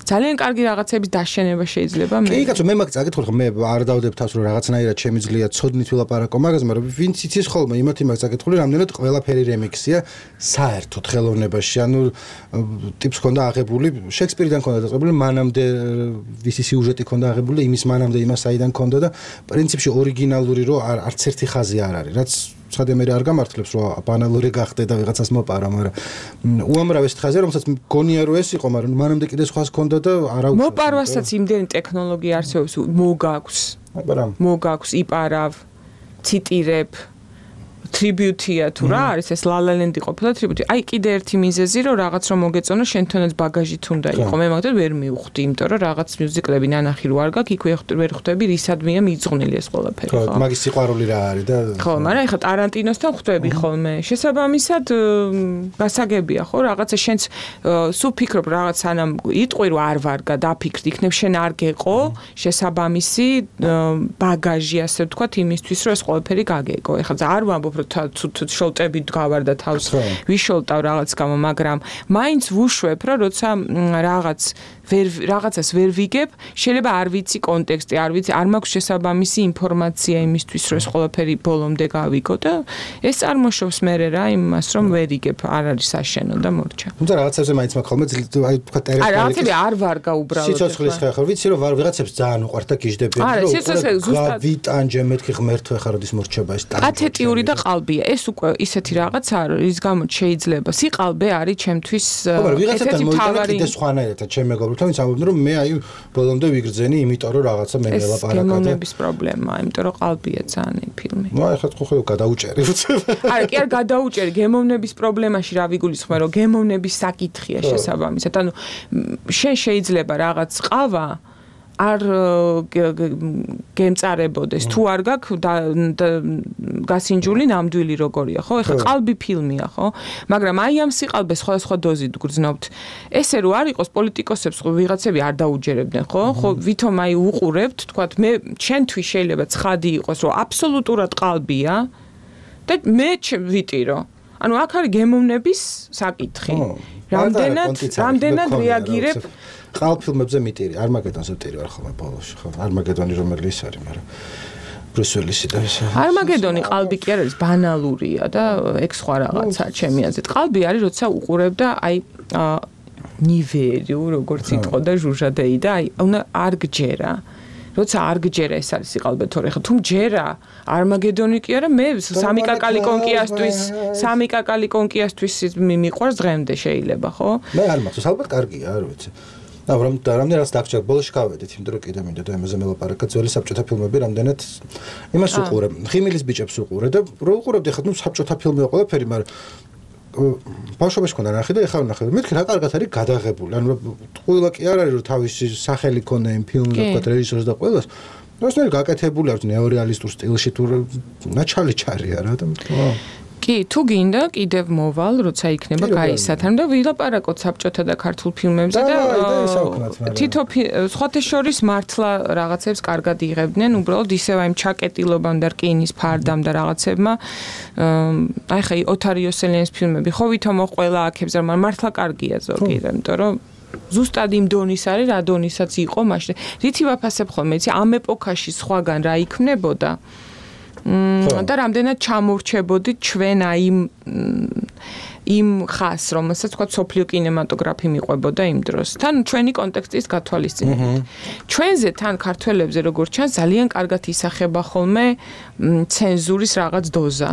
ძალიან კარგი რაღაცების დაშენება შეიძლება მე. კი, კაცო, მე მაგ წაკითხული ხო მე არ დავდებ თავს რომ რაღაცნაირად შემიძლია ცოდნით ვილაპარაკო მაგაზე, მაგრამ ვინც იცის ხოლმე იმათი მაგ წაკითხული რამდენად ყველაფერი რემიქსია საერთოდ ხელოვნებაში. ანუ ტიპს ქონდა აღებული, შექსპირიდან ქონდა დაწყებული, მანამდე ვისი სიუჟეტი ქონდა აღებული, იმის მანამდე იმას საიდან ქონდა და პრინციპში ორიგინალური რო არც ერთი ხაზი არ არის, რაც ცხადე მე არ გამართლებს რომ ბანალური გახდე და ვიღაცას მოპარა, მაგრამ უამრავ ეს ხაზია, რომელსაც გონია რომ ეს იყო, მაგრამ მანამდე კიდე სხვა ხონდა და არა უცხო. მოპარვასაც იმდენი ტექნოლოგია არსებობს, მოგაქვს. მოგაქვს, იპარავ, ციტირებ, ტრიბიუტია თუ რა არის ეს ლალალენდი ყოფილა ტრიბიუტი. აი კიდე ერთი მიზეზი რომ რაღაც რომ მოგეწონო შენ თვითონაც ბაგაჟით უნდა იყო. მე მაგდროულად ვერ მივხვდი, იმიტომ რომ რაღაც მიუზიკლები ნანახი რო არ გაქვს, იქ ვერ ხვდები რისადმია მიძღვნილი ეს ყველაფერი, ხო? ხო, მაგის სიყვარული რა არის და ხო, მაგრამ ეხლა ტარანტინოსთან ხვდები ხოლმე. შესაბამისად გასაგებია, ხო, რაღაცა შენც სულ ფიქრობ რაღაც სანამ იტყვი რომ არ ვარგა, დაფიქრდი, იქნებ შენ არ გეყო შესაბამისი ბაგაჟი, ასე ვთქვათ, იმისთვის რომ ეს ყველაფერი გაგეკო. ეხლა არ ვამბობ თუ შოლტები გავარდა თავს ვიშოლტავ რაღაც გამო, მაგრამ მაინც ვუშვებ რომ როცა რაღაც ვერ რაღაცას ვერ ვიგებ, შეიძლება არ ვიცი კონტექსტი, არ ვიცი, არ მაქვს შესაბამისი ინფორმაცია იმისთვის, რომ ეს ყველაფერი ბოლომდე გავიგო და ეს წარმოშობს მე რა იმას, რომ ვერ იგებ, არ არის საშენო და მორჩა. თუმცა რაღაცებზე მაინც მაქვს ხოლმე, აი თქვა ტერესტარი. არა, რაღაცები არ ვარგა უბრალოდ. სიცოცხლის ხეხა, ვიცი რომ ვიღაცებს ძალიან უყვართ და გიждებიან, რომ ვიტანჯე მეთქი ღმერთო ხარ როდის მორჩება ეს ტანჯი. ათეტიური და ყალბია. ეს უკვე ისეთი რაღაცა არის, რის გამოც შეიძლება. სიყალბე არის ჩემთვის ესეთი თავარი. კიდე სხვანაირად ჩემ მეგობრებთან ვინც ამბობდნენ რომ მე აი ბოლომდე ვიგრძენი, იმიტომ რომ რაღაცა მე ველაპარაკა და გემოვნების პრობლემაა, იმიტომ რომ ყალბია ძალიან এই ფილმი. ნუ აი ხა ხო ხო გადაუჭერი. არა, კი არ გადაუჭერი, გემოვნების პრობლემაში რა ვიგულისხმე, რომ გემოვნების საკითხია შესაბამისად. ანუ შენ შეიძლება რაღაც ყავა არ გემწარებოდეს თუ არ გაქვს გასინჯული ნამდვილი როგორია, ხო? ეხლა ყალბი ფილმია, ხო? მაგრამ აი ამ სიყალბეს სხვადასხვა დოზით გრძნობთ. ესე რო არ იყოს პოლიტიკოსებს ვიღაცები არ დაუჯერებდნენ, ხო? ხო, ვითომ აი უყურებთ, თქვათ მე ჩვენთვის შეიძლება ცხადი იყოს, რომ აბსოლუტურად ყალბია და მე ვიტირო. ანუ აქ არის გემოვნების საკითხი. რამდენად რამდენად რეაგირებ ყალ ფილმებზე მიტირი, არმაგედონზე მიტირი ვარ ხოლმე ბოლოში, ხო? არმაგედონი რომელიც არის, მაგრამ ბრუს ვილისი და ეს. არმაგედონი ყალბი კი არ არის, ბანალურია და ეგ სხვა რაღაცაა ჩემი აზრით. ყალბი არის, როცა უყურებ და აი ნივერი, როგორც იტყო და ჟუჟადეი და აი უნდა არ გჯერა. როცა არ გჯერა ეს არის სიყალბე, თორე ხა თუ მჯერა არმაგედონი კი არა, მე სამი კაკალი კონკიასთვის, სამი კაკალი კონკიასთვის მიყვარს დღემდე შეიძლება, ხო? მე არ მახსოვს, ალბათ კარგია, არ ვიცი. და რომ რამდენადაც დაგჭირდა ბოლოში გავედით, იმიტომ რომ კიდე მინდა და ამაზე მელაპარაკა ძველი საბჭოთა ფილმები რამდენად იმას უყურებ, ხიმილის ბიჭებს უყურე და რო უყურებდი ხა ნუ საბჭოთა ფილმია ყველაფერი, მაგრამ ბავშვობაში ქონდა ნახე და ეხლა ვნახე. მეთქი რა კარგად არის გადაღებული. ანუ ყველა კი არ არის რომ თავისი სახელი ქონდა იმ ფილმზე, თქვა რეჟისორს და ყველას. ნოსნელი გაკეთებული არის ნეორეალისტურ სტილში თუ ნაჩალი ჩარია რა და კი, თუ გინდა კიდევ მოვალ, როცა იქნება გაისათარ და ვილაპარაკოთ საბჭოთა და ქართულ ფილმებზე და თითო სხვათა შორის მართლა რაღაცებს კარგად იღებდნენ, უბრალოდ ისევ აი ჩაკეტილობამ და რკინის ფარდამ და რაღაცებმა აი ხა ოთარ იოსელიანის ფილმები ხო ვითომ ყველა აქებს რა მართლა კარგია ზოგი, იმიტომ რომ ზუსტად იმ დონის არის, რა დონისაც იყო მაშინ. რითი ვაფასებ ხოლმე, იცი, ამ ეპოქაში სხვაგან რა იქნებოდა? და რამდენად ჩამორჩებოდით ჩვენ აი იმ ხას, რომელსაც თქვა სოფლიო კინემატოგრაფი მიყვებოდა იმ დროს. თან ჩვენი კონტექსტის გათვალისწინებით. ჩვენზე თან ქართველებზე როგორც ჩანს ძალიან კარგად ისახება ხოლმე ცენზურის რაღაც დოზა.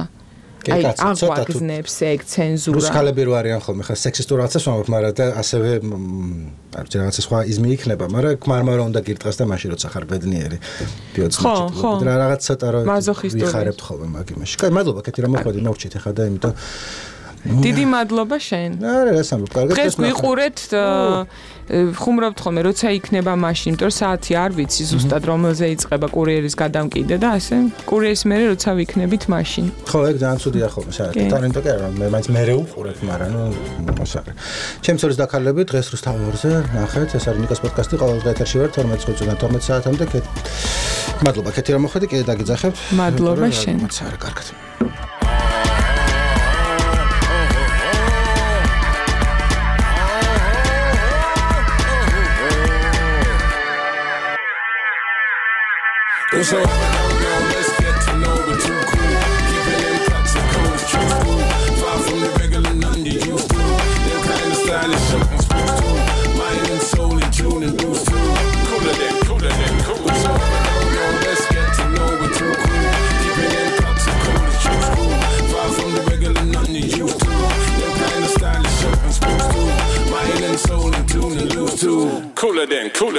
აი აღვაგზნებს ეგ ცენზურა. რუსკალები რო არიან ხოლმე ხა სექსისტურ რაღაცას ვამბობ, მაგრამ და ასევე არ ვიცი რაღაცა სხვა იზმი იქნება, მაგრამ ქმარმა უნდა გირტყას და მაშინ როცა ხარ ბედნიერი ბიოცნიკი და რაღაც ცოტა რო ვიხარებთ ხოლმე მაგ იმაში. კაი, მადლობა კეთი რა მოხდა მოვჭით ახლა და იმიტომ დიდი მადლობა შენ. არა, რა სამბობ, კარგად. დღეს გვიყურეთ ხუმრობთ ხოლმე, როცა იქნება მაშინ, იმიტომ რომ საათი არ ვიცი ზუსტად რომელზე იწყება კურიერის გადამკიდე და ასე კურიერის მერე როცა ვიქნებით მაშინ. ხო, ეგ ძალიან ცუდია ხოლმე საათი. ტორინტო კი არა, მე მაინც მერე უყურებ, მაგრამ ნუ მოსაგრე. ჩემი ცოლის დაქალები დღეს რუსთავორზე ნახეთ, ეს არის ნიკას პოდკასტი, ყოველდღე ეთერში ვარ თორმეტ წუთიდან თორმეტ საათამდე. მადლობა, ქეთი რომ მოხვედი, კიდე დაგიძახებთ. მადლობა შენ. მაცარა, კარგად. Eso